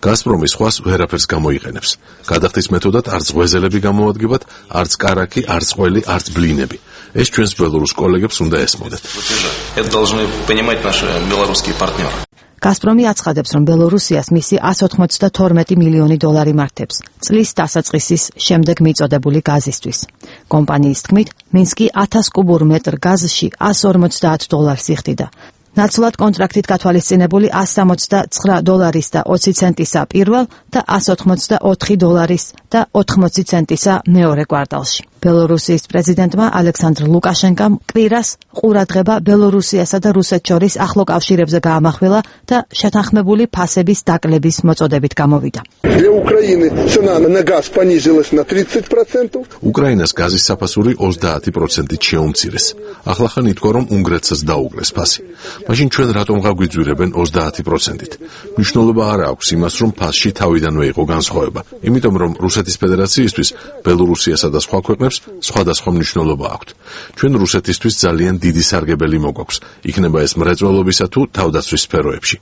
გაზპრომი სხვას ვერაფერს გამოიყენებს. გადახდის მეთოდად არც ღვეზელები გამოადგებათ, არც კარაკი, არც ყველი, არც ბლინები. ეს ჩვენს ბელორუს კოლეგებს უნდა ესმოდეთ. გაზპრომი აცხადებს, რომ ბელორუსიას მისი εκατს ოცდათორმეტი მილიონი დოლარი მართებს წლის დასაწყისის შემდეგ მიწოდებული გაზისთვის. კომპანიის თქმით, მინსკი ათას კუბურ მეტრ გაზში εκατს ორმოცდაათ დოლარს იხდიდა. ნაცვლად კონტრაქტით გათვალისწინებული εκατს სამოცდაცხრა დოლარის და ოცი ცენტისა პირველ და εκατს ოცდაოთხი დოლარის და ოთხმოცი ცენტისა მეორე კვარტალში. ბელორუსიის პრეზიდენტმა ალექსანდრ ლუკაშენკამ კვირას ყურადღება ბელორუსიასა და რუსეთს შორის ახლო კავშირებზე გაამახვილა და შეთანხმებული ფასების დაკლების მოწოდებით გამოვიდა. უკრაინას გაზის საფასური ოცდაათი პროცენტით შეუმცირეს. ახლახან ითქვა, რომ უნგრეთსაც დაუკლეს ფასი. მაშინ ჩვენ რატომ გაგვიძვირებენ ოცდაათი პროცენტით? მნიშვნელობა არ აქვს იმას, რომ ფასში თავიდანვე იყო განსხვავება, იმიტომ რომ რუსეთის ფედერაციისთვის ბელორუსიასა და სხვა ქვეყნებს სხვადასხვა მნიშვნელობა აქვთ. ჩვენ რუსეთისთვის ძალიან დიდი სარგებელი მოგვაქვს, იქნება ეს მრეწველობისა თუ თავდაცვის სფეროებში.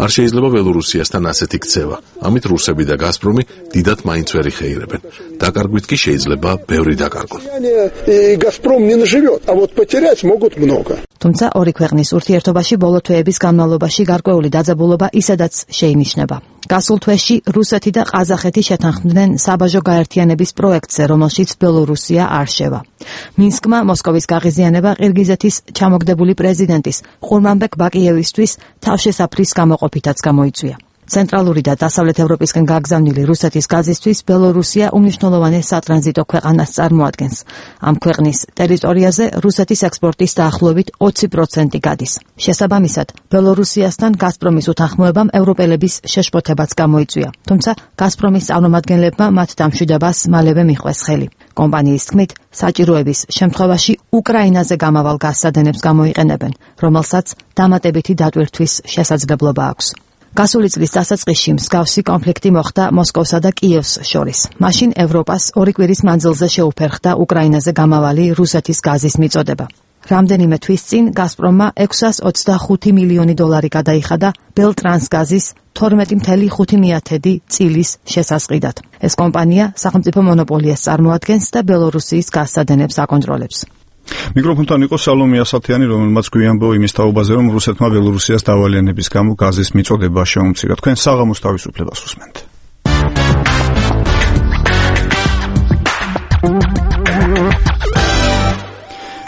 არ შეიძლება ბელორუსიასთან ასეთი ქცევა. ამით რუსები და გაზპრომი დიდად მაინც ვერ იხეირებენ. დაკარგვით კი შეიძლება ბევრი დაკარგონ. თუმცა ორი ქვეყნის ურთიერთობაში ბოლო თვეების განმავლობაში გარკვეული დაძაბულობა ისედაც შეინიშნება. გასულ თვეში რუსეთი და ყაზახეთი შეთანხმდნენ საბაჟო გაერთიანების პროექტზე, რომელშიც ბელორუსია არ შევა. მინსკმა მოსკოვის გაღიზიანება ყირგიზეთის ჩამოგდებული პრეზიდენტის ყურმანბეკ ბაკიევისთვის თავშესაფრის გამოყოფითაც გამოიწვია. ცენტრალური და დასავლეთ ევროპისკენ გაგზავნილი რუსეთის გაზისთვის ბელორუსია უმნიშვნელოვანეს სატრანზიტო ქვეყანას წარმოადგენს. ამ ქვეყნის ტერიტორიაზე რუსეთის ექსპორტის დაახლოებით ოცი პროცენტი გადის. შესაბამისად, ბელორუსიასთან გაზპრომის უთანხმოებამ ევროპელების შეშფოთებაც გამოიწვია. თუმცა გაზპრომის წარმომადგენლებმა მათ დამშვიდობას მალევე მიჰყვეს ხელი. კომპანიის თქმით, საჭიროების შემთხვევაში უკრაინაზე გამავალ გაზსადენებს გამოიყენებენ, რომელსაც დამატებითი დატვირთვის შესაძლებლობა აქვს. გასული წლის დასაწყისში მსგავსი კონფლიქტი მოხდა მოსკოვსა და კიევს შორის. მაშინ ევროპას ორი კვირის მანძილზე შეუფერხდა უკრაინაზე გამავალი რუსეთის გაზის მიწოდება. რამდენიმე თვის წინ გაზპრომმა ექვსას ოცდახუთი მილიონი დოლარი გადაიხადა ბელტრანსგაზის თორმეტი კoma ხუთი წილის შესასყიდად. ეს კომპანია სახელმწიფო მონოპოლიას წარმოადგენს და ბელორუსიის გაზსადენებს აკონტროლებს. მიკროფონთან იყო სალომე ასათიანი, რომელმაც გვიანბო იმის თაობაზე, რომ რუსეთმა ბელორუსიას დავალიანების გამო გაზის მიწოდება შეუმცირა. თქვენ საღამოს თავისუფლებას უსმენთ.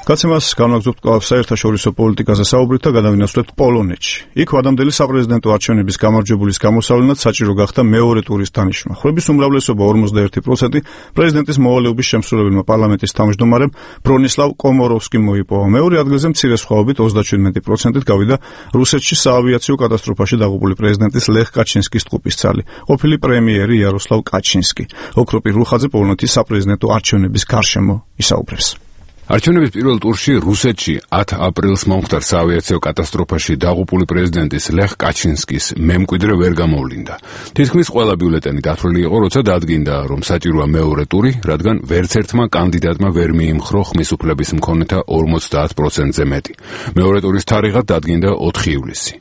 გაცემას განვაგრძობთ კვლავ საერთაშორისო პოლიტიკაზე საუბრით და გადავინაცვლებთ პოლონეთში. იქ ვადამდელი საპრეზიდენტო არჩევნების გამარჯვებულის გამოსავლენად საჭირო გახდა მეორე ტურის დანიშვნა. ხვების უმრავლესობა ორმოცდაერთი პროცენტი პრეზიდენტის მოვალეობის შემსრულებელმა პარლამენტის თავმჯდომარემ ბრონისლავ კომოროვსკიმ მოიპოვა. მეორე ადგილზე მცირე სხვაობით ოცდაჩვიდმეტი პროცენტით გავიდა რუსეთში საავიაციო კატასტროფაში დაღუპული პრეზიდენტის ლეხ კაჩინსკის ტყუპისცალი, ყოფილი პრემიერი იაროსლავ კაჩინსკი. ოქროპირ რუხაძე პოლონეთის საპრეზიდენტო არჩევნების გარშემო ისაუბრებს. არჩევნების პირველ ტურში რუსეთში ათი აპრილს მომხდარ საავიაციო კატასტროფაში დაღუპული პრეზიდენტის ლეხ კაჩინსკის მემკვიდრე ვერ გამოვლინდა. თითქმის ყველა ბიულეტენი დათვლილი იყო, როცა დადგინდა, რომ საჭიროა მეორე ტური, რადგან ვერც ერთმა კანდიდატმა ვერ მიიმხრო ხმის უფლების მქონეთა ორმოცდაათ პროცენტზე მეტი. მეორე ტურის თარიღად დადგინდა ოთხი ივლისი.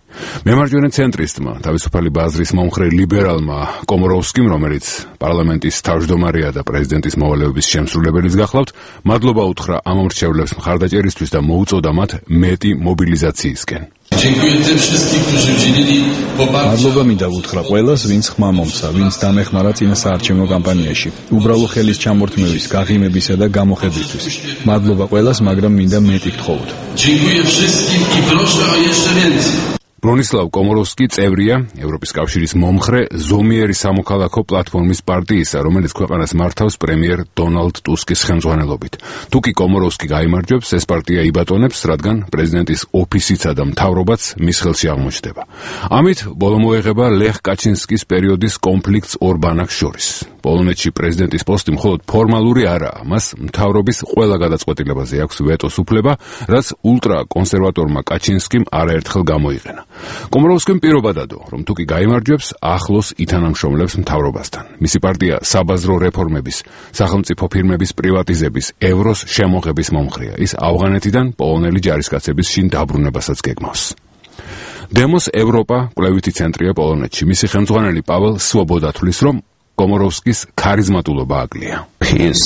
მემარჯვენე ცენტრისტმა, თავისუფალი ბაზრის მომხრე ლიბერალმა კომოროვსკიმ, რომელიც პარლამენტის თავმჯდომარეა და პრეზიდენტის მოვალეობის შემსრულებელიც გახლავთ, მადლობა უთხრა ამ მომრჩევლებს მხარდაჭერისთვის და მოუწოდა მათ მეტი მობილიზაციისკენ. მადლობა მინდა უთხრა ყველას, ვინც ხმა მომცა, ვინც დამეხმარა წინა საარჩევნო კამპანიაში, უბრალო ხელის ჩამორთმევის, გაღიმებისა და გამოხედვისთვის. მადლობა ყველას, მაგრამ მინდა მეტი გთხოვოთ. ბრონისლავ კომოროვსკი წევრია ევროპის კავშირის მომხრე ზომიერი სამოქალაქო პლატფორმის პარტიისა, რომელიც ქვეყანას მართავს პრემიერ დონალდ ტუსკის ხელმძღვანელობით. თუ კი კომოროვსკი გაიმარჯვებს, ეს პარტია იბატონებს, რადგან პრეზიდენტის ოფისიცა და მთავრობაც მის ხელში აღმოჩნდება. ამით ბოლო მოეღება ლეხ კაჩინსკის პერიოდის კონფლიქტს ორბანაკს შორის. პოლონეთში პრეზიდენტის პოსტი მხოლოდ ფორმალური არაა, მას მთავრობის ყველა გადაწყვეტილებაზე აქვს ვეტოს უფლება, რაც ულტრაკონსერვატორმა კაჩინსკიმ არაერთხელ გამოიყენა. კომოროვსკიმ პირობა დადო, რომ თუ კი გაიმარჯვებს, ახლოს ითანამშრომლებს მთავრობასთან. მისი პარტია საბაზრო რეფორმების, სახელმწიფო ფირმების პრივატიზების, ევროს შემოღების მომხრეა. ის ავღანეთიდან პოლონელი ჯარისკაცების შინ დაბრუნებასაც გეგმავს. დემოს ევროპა კვლევითი ცენტრია პოლონეთში. მისი ხელმძღვანელი პაველ სვობოდა თვლის, რომ კომოროვსკის ქარიზმატულობა აკლია. ის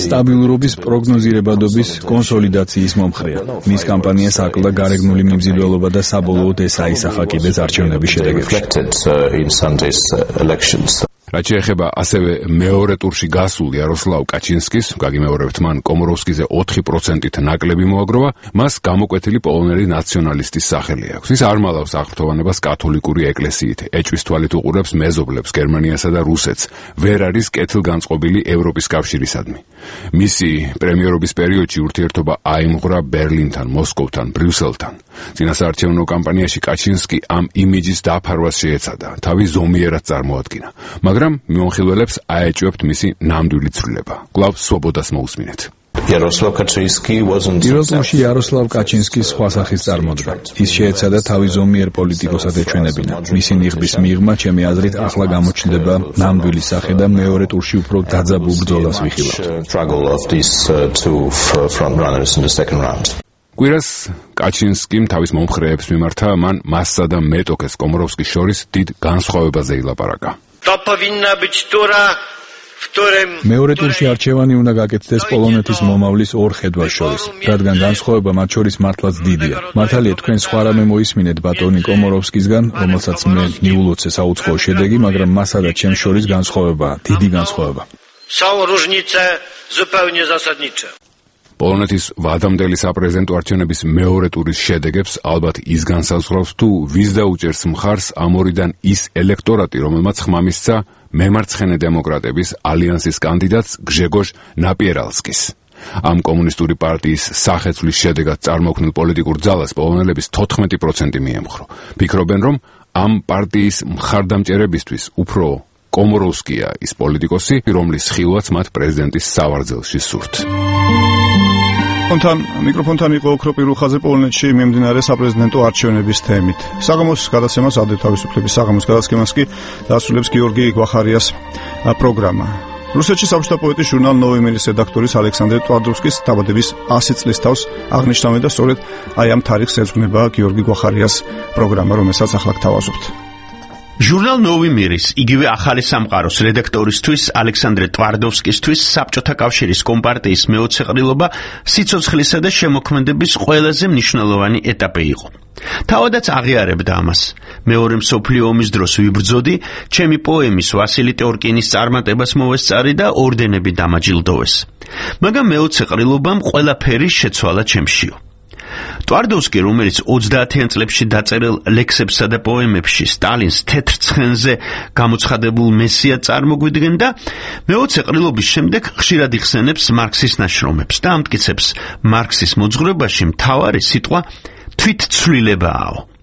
სტაბილურობის, პროგნოზირებადობის, კონსოლიდაციის მომხრეა. მის კამპანიას აკლდა გარეგნული მიმზიდველობა და საბოლოოდ ეს აისახა კიდეც არჩევნების შედეგებში. რაც შეეხება ასევე მეორე ტურში გასულ იაროსლავ კაჩინსკის, გაგიმეორებთ, მან კომოროვსკიზე ოთხი პროცენტით ნაკლები მოაგროვა, მას გამოკვეთილი პოლონელი ნაციონალისტის სახელი აქვს. ის არ მალავს აღფრთოვანებას კათოლიკური ეკლესიით, ეჭვის თვალით უყურებს მეზობლებს გერმანიასა და რუსეთს, ვერ არის კეთილგანწყობილი ევროპის კავშირისადმი. მისი პრემიერობის პერიოდში ურთიერთობა აიმღვრა ბერლინთან, მოსკოვთან, ბრიუსელთან. წინასაარჩევნო კამპანიაში კაჩინსკი ამ იმიჯის დაფარვას შეეცადა, თავი ზომიერად წარმოადგინა. მაგრამ მიმოხილველებს აეჭვებთ მისი ნამდვილი ცვლილება. კვლავ სვობოდას მოусმინეთ. იაროსლავ კაჩინსკი პირველ ტურში იაროსლავ კაჩინსკის სხვა სახის წარმოდგა. ის შეეცადა თავი ზომიერ პოლიტიკოსად ეჩვენებინა. მისი ნიღბის მიღმა, ჩემი აზრით, ახლა გამოჩნდება ნამდვილი სახე და მეორე ტურში უფრო დაძაბულ ბრძოლას ვიხილავთ. კვირას კაჩინსკიმ თავის მომხრეებს მიმართა, მან მასსა და მეტოქეს კომოროვსკის შორის დიდ განსხვავებაზე ილაპარაკა. მეორე ტურში არჩევანი უნდა გაკეთდეს პოლონეთის მომავლის ორ ხედვას შორის, რადგან განსხვავება მათ შორის მართლაც დიდია. მართალია, თქვენ სხვა რამე მოისმინეთ ბატონი კომოროვსკისგან, რომელსაც მე მიულოცე საუცხოო შედეგი, მაგრამ მასა და ჩემს შორის განსხვავებაა, დიდი განსხვავება. პოლონეთის ვადამდელი საპრეზიდენტო არჩევნების მეორე ტურის შედეგებს ალბათ ის განსაზღვრავს, თუ ვის დაუჭერს მხარს ამ ორიდან ის ელექტორატი, რომელმაც ხმა მისცა მემარცხენე დემოკრატების ალიანსის კანდიდატს გჟეგოჟ ნაპიერალსკის. ამ კომუნისტური პარტიის სახეცვლის შედეგად წარმოქმნილ პოლიტიკურ ძალას პოლონელების თოთხმეტი პროცენტი მიემხრო. ფიქრობენ, რომ ამ პარტიის მხარდამჭერებისთვის უფრო კომოროვსკია ის პოლიტიკოსი, რომლის ხილვაც მათ პრეზიდენტის სავარძელში სურთ. Fontan მიკროფონთან იყო ოქროპირ რუხაძე პოლონეთში მიმდინარე საპრეზიდენტო არჩევნების თემით. საგამოს გადაცემას ადრე თავისუფლების საგამოს გადაცემას კი დასრულებს გიორგი გვახარიას პროგრამა. რუსეთში საბჭოთა პოეტის ჟურნალ ნოვი მილის რედაქტორის ალექსანდრე ტვარდოვსკის დაბადების ასი წლის თავს აღნიშნავენ და სწორედ აი ამ თარიღს ეძღვნება გიორგი გვახარიას პროგრამა, რომელსაც ახლა გთავაზობთ. ჟურნალ ნოვი მირის იგივე ახალი სამყაროს რედაქტორისთვის ალექსანდრე ტვარდოვსკისთვის საბჭოთა კავშირის კომპარტიის მეოცე ყრილობა სიცოცხლისა და შემოქმედების ყველაზე მნიშვნელოვანი ეტაპი იყო. თავადაც აღიარებდა ამას. მეორე მსოფლიო ომის დროს ვიბრძოდი, ჩემი პოემის ვასილი ტორკინის წარმატებას მოვესწარი და ორდენები დამაჯილდოვეს. მაგრამ მეოცე ყრილობამ ყველაფერი შეცვალა ჩემშიო. ტვარდოვსკი, რომელიც ოცდაათიან წლებში დაწერილ ლექსებსა და პოემებში სტალინს თეთრ ცხენზე გამოცხადებულ მესიად წარმოგვიდგენდა, მეოცე ყრილობის შემდეგ ხშირად იხსენებს მარქსის ნაშრომებს და ამტკიცებს, მარქსის მოძღვრებაში მთავარი სიტყვა თვითცვლილებაა.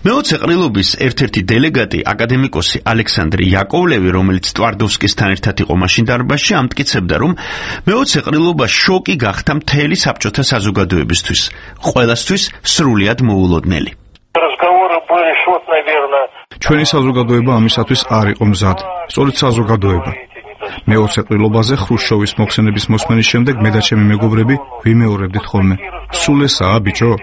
მეოცე ყრილობის ერთ-ერთი დელეგატი აკადემიკოსი ალექსანდრე იაკოვლევი, რომელიც ტვარდოვსკისთან ერთად იყო მაშინ დარბაზში, ამტკიცებდა, რომ მეოცე ყრილობა შოკი გახდა მთელი საბჭოთა საზოგადოებისთვის, ყველასთვის სრულიად მოულოდნელი. ჩვენი საზოგადოება ამისათვის არ იყო მზად, სწორედ საზოგადოება. მეოცე ყრილობაზე ხრუშჩოვის მოხსენების მოსმენის შემდეგ მე და ჩემი მეგობრები ვიმეორებდით ხოლმე. სულ ესაა, ბიჭო?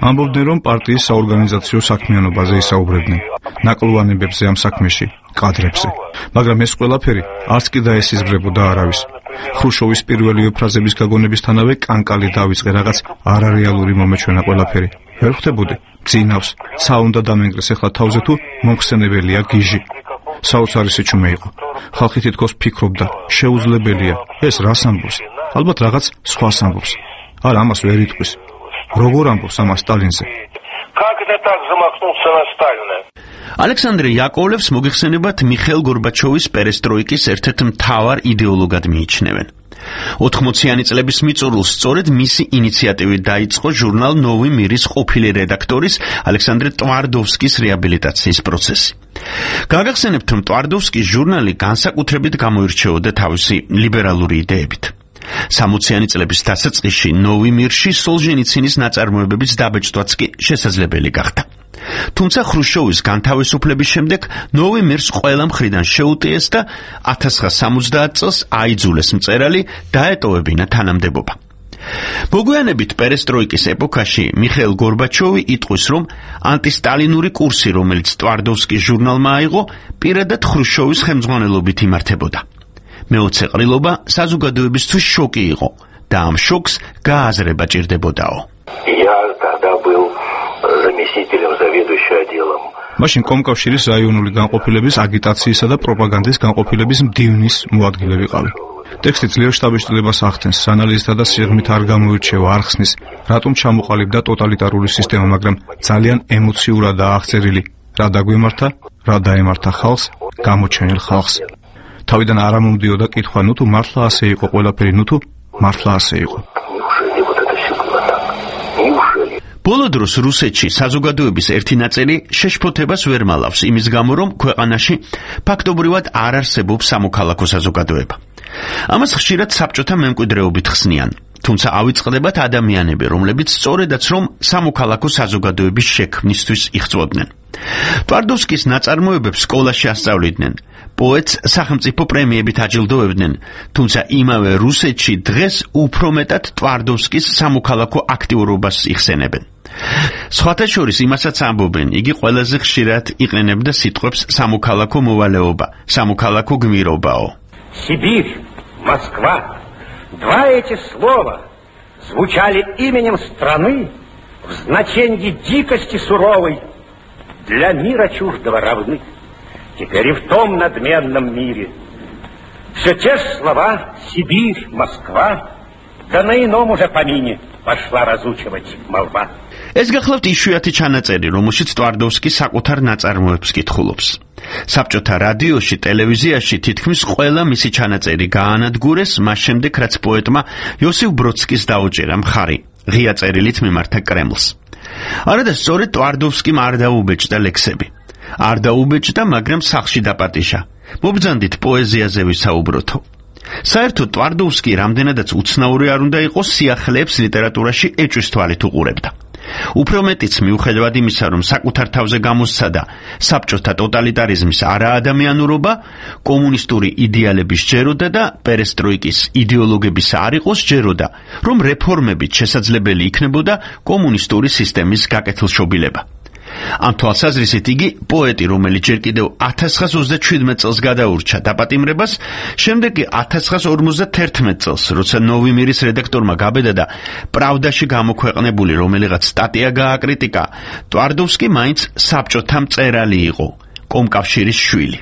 ამბობდნენ, რომ პარტიის საორგანიზაციო საქმიანობაზე ისაუბრებდნენ, ნაკლოვანებებზე ამ საქმეში, კადრებზე. მაგრამ ეს ყველაფერი არც კი დაესიზღვრებოდა არავის. ხრუშჩოვის პირველი ფრაზების გაგონებისთანავე კანკალი დავიწყე რაღაც არარეალური მომეჩვენა ყველაფერი. ვერ ხვდებოდი, ძინავს, ცა უნდა დამენგრეს ახლა თავზე თუ მომხსენებელია გიჟი. საოცარი სიჩუმე იყო. ხალხი თითქოს ფიქრობდა, შეუძლებელია, ეს რას ამბობს? ალბათ რაღაც სხვას ამბობს. არა, ამას ვერ იტყვის. როგორ ამბობს ამას სტალინზე? ალექსანდრე იაკოვლევს მოგეხსენებათ მიხეილ გორბაჩოვის პერესტროიკის ერთ-ერთ მთავარ იდეოლოგად მიიჩნევენ. ოთხმოციანი წლების მიწურულს სწორედ მისი ინიციატივით დაიწყო ჟურნალ ნოვი მირის ყოფილი რედაქტორის ალექსანდრე ტვარდოვსკის რეაბილიტაციის პროცესი. გაგახსენებთ, რომ ტვარდოვსკის ჟურნალი განსაკუთრებით გამოირჩეოდა თავისი ლიბერალური იდეებით. სამოციანი წლების დასაწყისში ნოვი მირში სოლჟენიცინის ნაწარმოებების დაბეჭდვაც კი შესაძლებელი გახდა. თუმცა ხრუშჩოვის განთავისუფლების შემდეგ ნოვი მირს ყველა მხრიდან შეუტიეს და ათას ცხრაასა სამოცდაათ წელს აიძულეს მწერალი დაეტოვებინა თანამდებობა. მოგვიანებით პერესტროიკის ეპოქაში მიხეილ გორბაჩოვი იტყვის, რომ ანტისტალინური კურსი, რომელიც ტვარდოვსკის ჟურნალმა აიღო, პირადად ხრუშჩოვის ხელმძღვანელობით იმართებოდა. მეოცე ყრილობა საზოგადოებისთვის შოკი იყო და ამ შოკს გააზრება ჭირდებოდაო. მაშინ კომკავშირის რაიონული განყოფილების აგიტაციისა და პროპაგანდის განყოფილების მდივნის მოადგილე ვიყავი. ტექსტი ძლიერ შტაბეშტილებას ახდენს, ანალიზთა და სიღრმით არ გამოირჩევა, არ ხსნის, რატომ ჩამოყალიბდა ტოტალიტარული სისტემა, მაგრამ ძალიან ემოციურადაა აღწერილი, რა დაგვემართა, რა დაემართა ხალხს, გამოჩენილ ხალხს. თავიდან არ ამომდიოდა კითხვა, ნუ თუ მართლა ასე იყო ყველაფერი, ნუ თუ მართლა ასე იყო. ბოლო დროს რუსეთში საზოგადოების ერთი ნაწილი შეშფოთებას ვერ მალავს იმის გამო, რომ ქვეყანაში ფაქტობრივად არ არსებობს სამოქალაქო საზოგადოება. ამას ხშირად საბჭოთა მემკვიდრეობით ხსნიან, თუმცა ავიწყდებათ ადამიანები, რომლებიც სწორედაც რომ სამოქალაქო საზოგადოების შექმნისთვის იღწვოდნენ. ტვარდოვსკის ნაწარმოებებს სკოლაში ასწავლიდნენ, პოეტს სახელმწიფო პრემიებით აჯილდოვებდნენ, თუმცა იმავე რუსეთში დღეს უფრო მეტად ტვარდოვსკის სამოქალაქო აქტიურობას იხსენებენ. სხვათა შორის იმასაც ამბობენ, იგი ყველაზე ხშირად იყენებდა სიტყვებს სამოქალაქო მოვალეობა, სამოქალაქო გმირობაო. Сибирь, Москва, два эти слова звучали именем страны в значении дикости суровой, для мира чуждого равны. Теперь и в том надменном мире все те же слова Сибирь, Москва, да на ином уже помине пошла разучивать молва. ეს გახლავთ იშვიათი ჩანაწერი, რომელშიც ტვარდოვსკი საკუთარ ნაწარმოებს კითხულობს. საბჭოთა რადიოში, ტელევიზიაში თითქმის ყველა მისი ჩანაწერი გაანადგურეს, მას შემდეგ რაც პოეტმა იოსიფ ბროდსკის დაუჭირა მხარი, ღია წერილით მიმართა კრემლს. არადა სწორედ ტვარდოვსკიმ არ დაუბეჭდა ლექსები. არ დაუბეჭდა, მაგრამ სახლში დაპატიშა. მობრძანდით პოეზიაზე ვისაუბროთო. საერთოდ ტვარდოვსკი რამდენადაც უცნაური არ უნდა იყოს, სიახლეებს ლიტერატურაში ეჭვის თვალით უყურებდა. უფრო მეტიც მიუხედავად იმისა, რომ საკუთარ თავზე გამოსცადა საბჭოთა ტოტალიტარიზმის არაადამიანურობა, კომუნისტური იდეალების ჯეროდა და პერესტროიკის იდეოლოგების არ იყოს ჯეროდა, რომ რეფორმებით შესაძლებელი იქნებოდა კომუნისტური სისტემის გაკეთილშობილება. ამ თვალსაზრისით იგი პოეტი, რომელიც ჯერ კიდევ ათას ცხრაას ოცდაჩვიდმეტ წელს გადაურჩა დაპატიმრებას, შემდეგ კი ათას ცხრაას ორმოცდათერთმეტ წელს, როცა ნოვი მირის რედაქტორმა გაბედა და პრავდაში გამოქვეყნებული რომელიღაც სტატია გააკრიტიკა, ტვარდოვსკი მაინც საბჭოთა მწერალი იყო, კომკავშირის შვილი.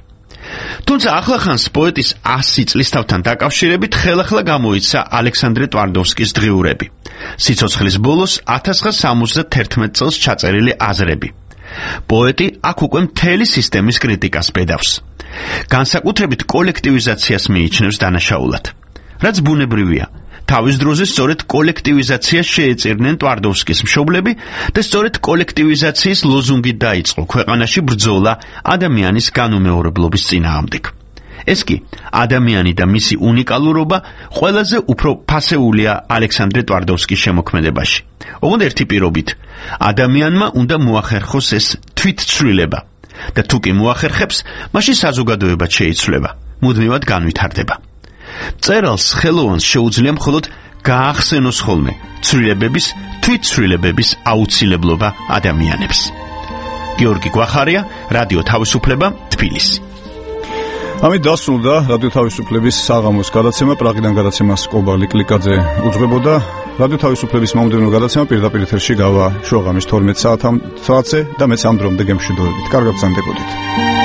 თუმცა ახლახანს პოეტის ასი წლის თავთან დაკავშირებით ხელახლა გამოიცა ალექსანდრე ტვარდოვსკის დღიურები. სიცოცხლის ბოლოს ათას ცხრაას სამოცდათერთმეტ წელს ჩაწერილი აზრები. პოეტი აქ უკვე მთელი სისტემის კრიტიკას ბედავს. განსაკუთრებით კოლექტივიზაციას მიიჩნევს დანაშაულად. რაც ბუნებრივია. თავის დროზე სწორედ კოლექტივიზაციას შეეწირნენ ტვარდოვსკის მშობლები და სწორედ კოლექტივიზაციის ლოზუნგით დაიწყო ქვეყანაში ბრძოლა ადამიანის განუმეორებლობის წინააღმდეგ. ეს კი ადამიანი და მისი უნიკალურობა ყველაზე უფრო ფასეულია ალექსანდრე ტვარდოვსკის შემოქმედებაში. ოღონდ ერთი პირობით, ადამიანმა უნდა მოახერხოს ეს თვითცვლილება და თუ კი მოახერხებს, მაშინ საზოგადოებაც შეიცვლება, მუდმივად განვითარდება. მწერალს ხელოვანს შეუძლია მხოლოდ გაახსენოს ხოლმე ცვლილებების, თვითცვლილებების აუცილებლობა ადამიანებს. გიორგი გვახარია, რადიო თავისუფლება, თბილისი. ამით დასრულდა რადიო თავისუფლების საღამოს გადაცემა. პრაღიდან გადაცემას კობა ლიკლიკაძე უძღვებოდა. რადიო თავისუფლების მომდევნო გადაცემა პირდაპირ ეთერში გავა შუაღამის თორმეტ საათზე და მეც ამ დრომდე გემშვიდობებით. კარგად გრძანდებოდეთ.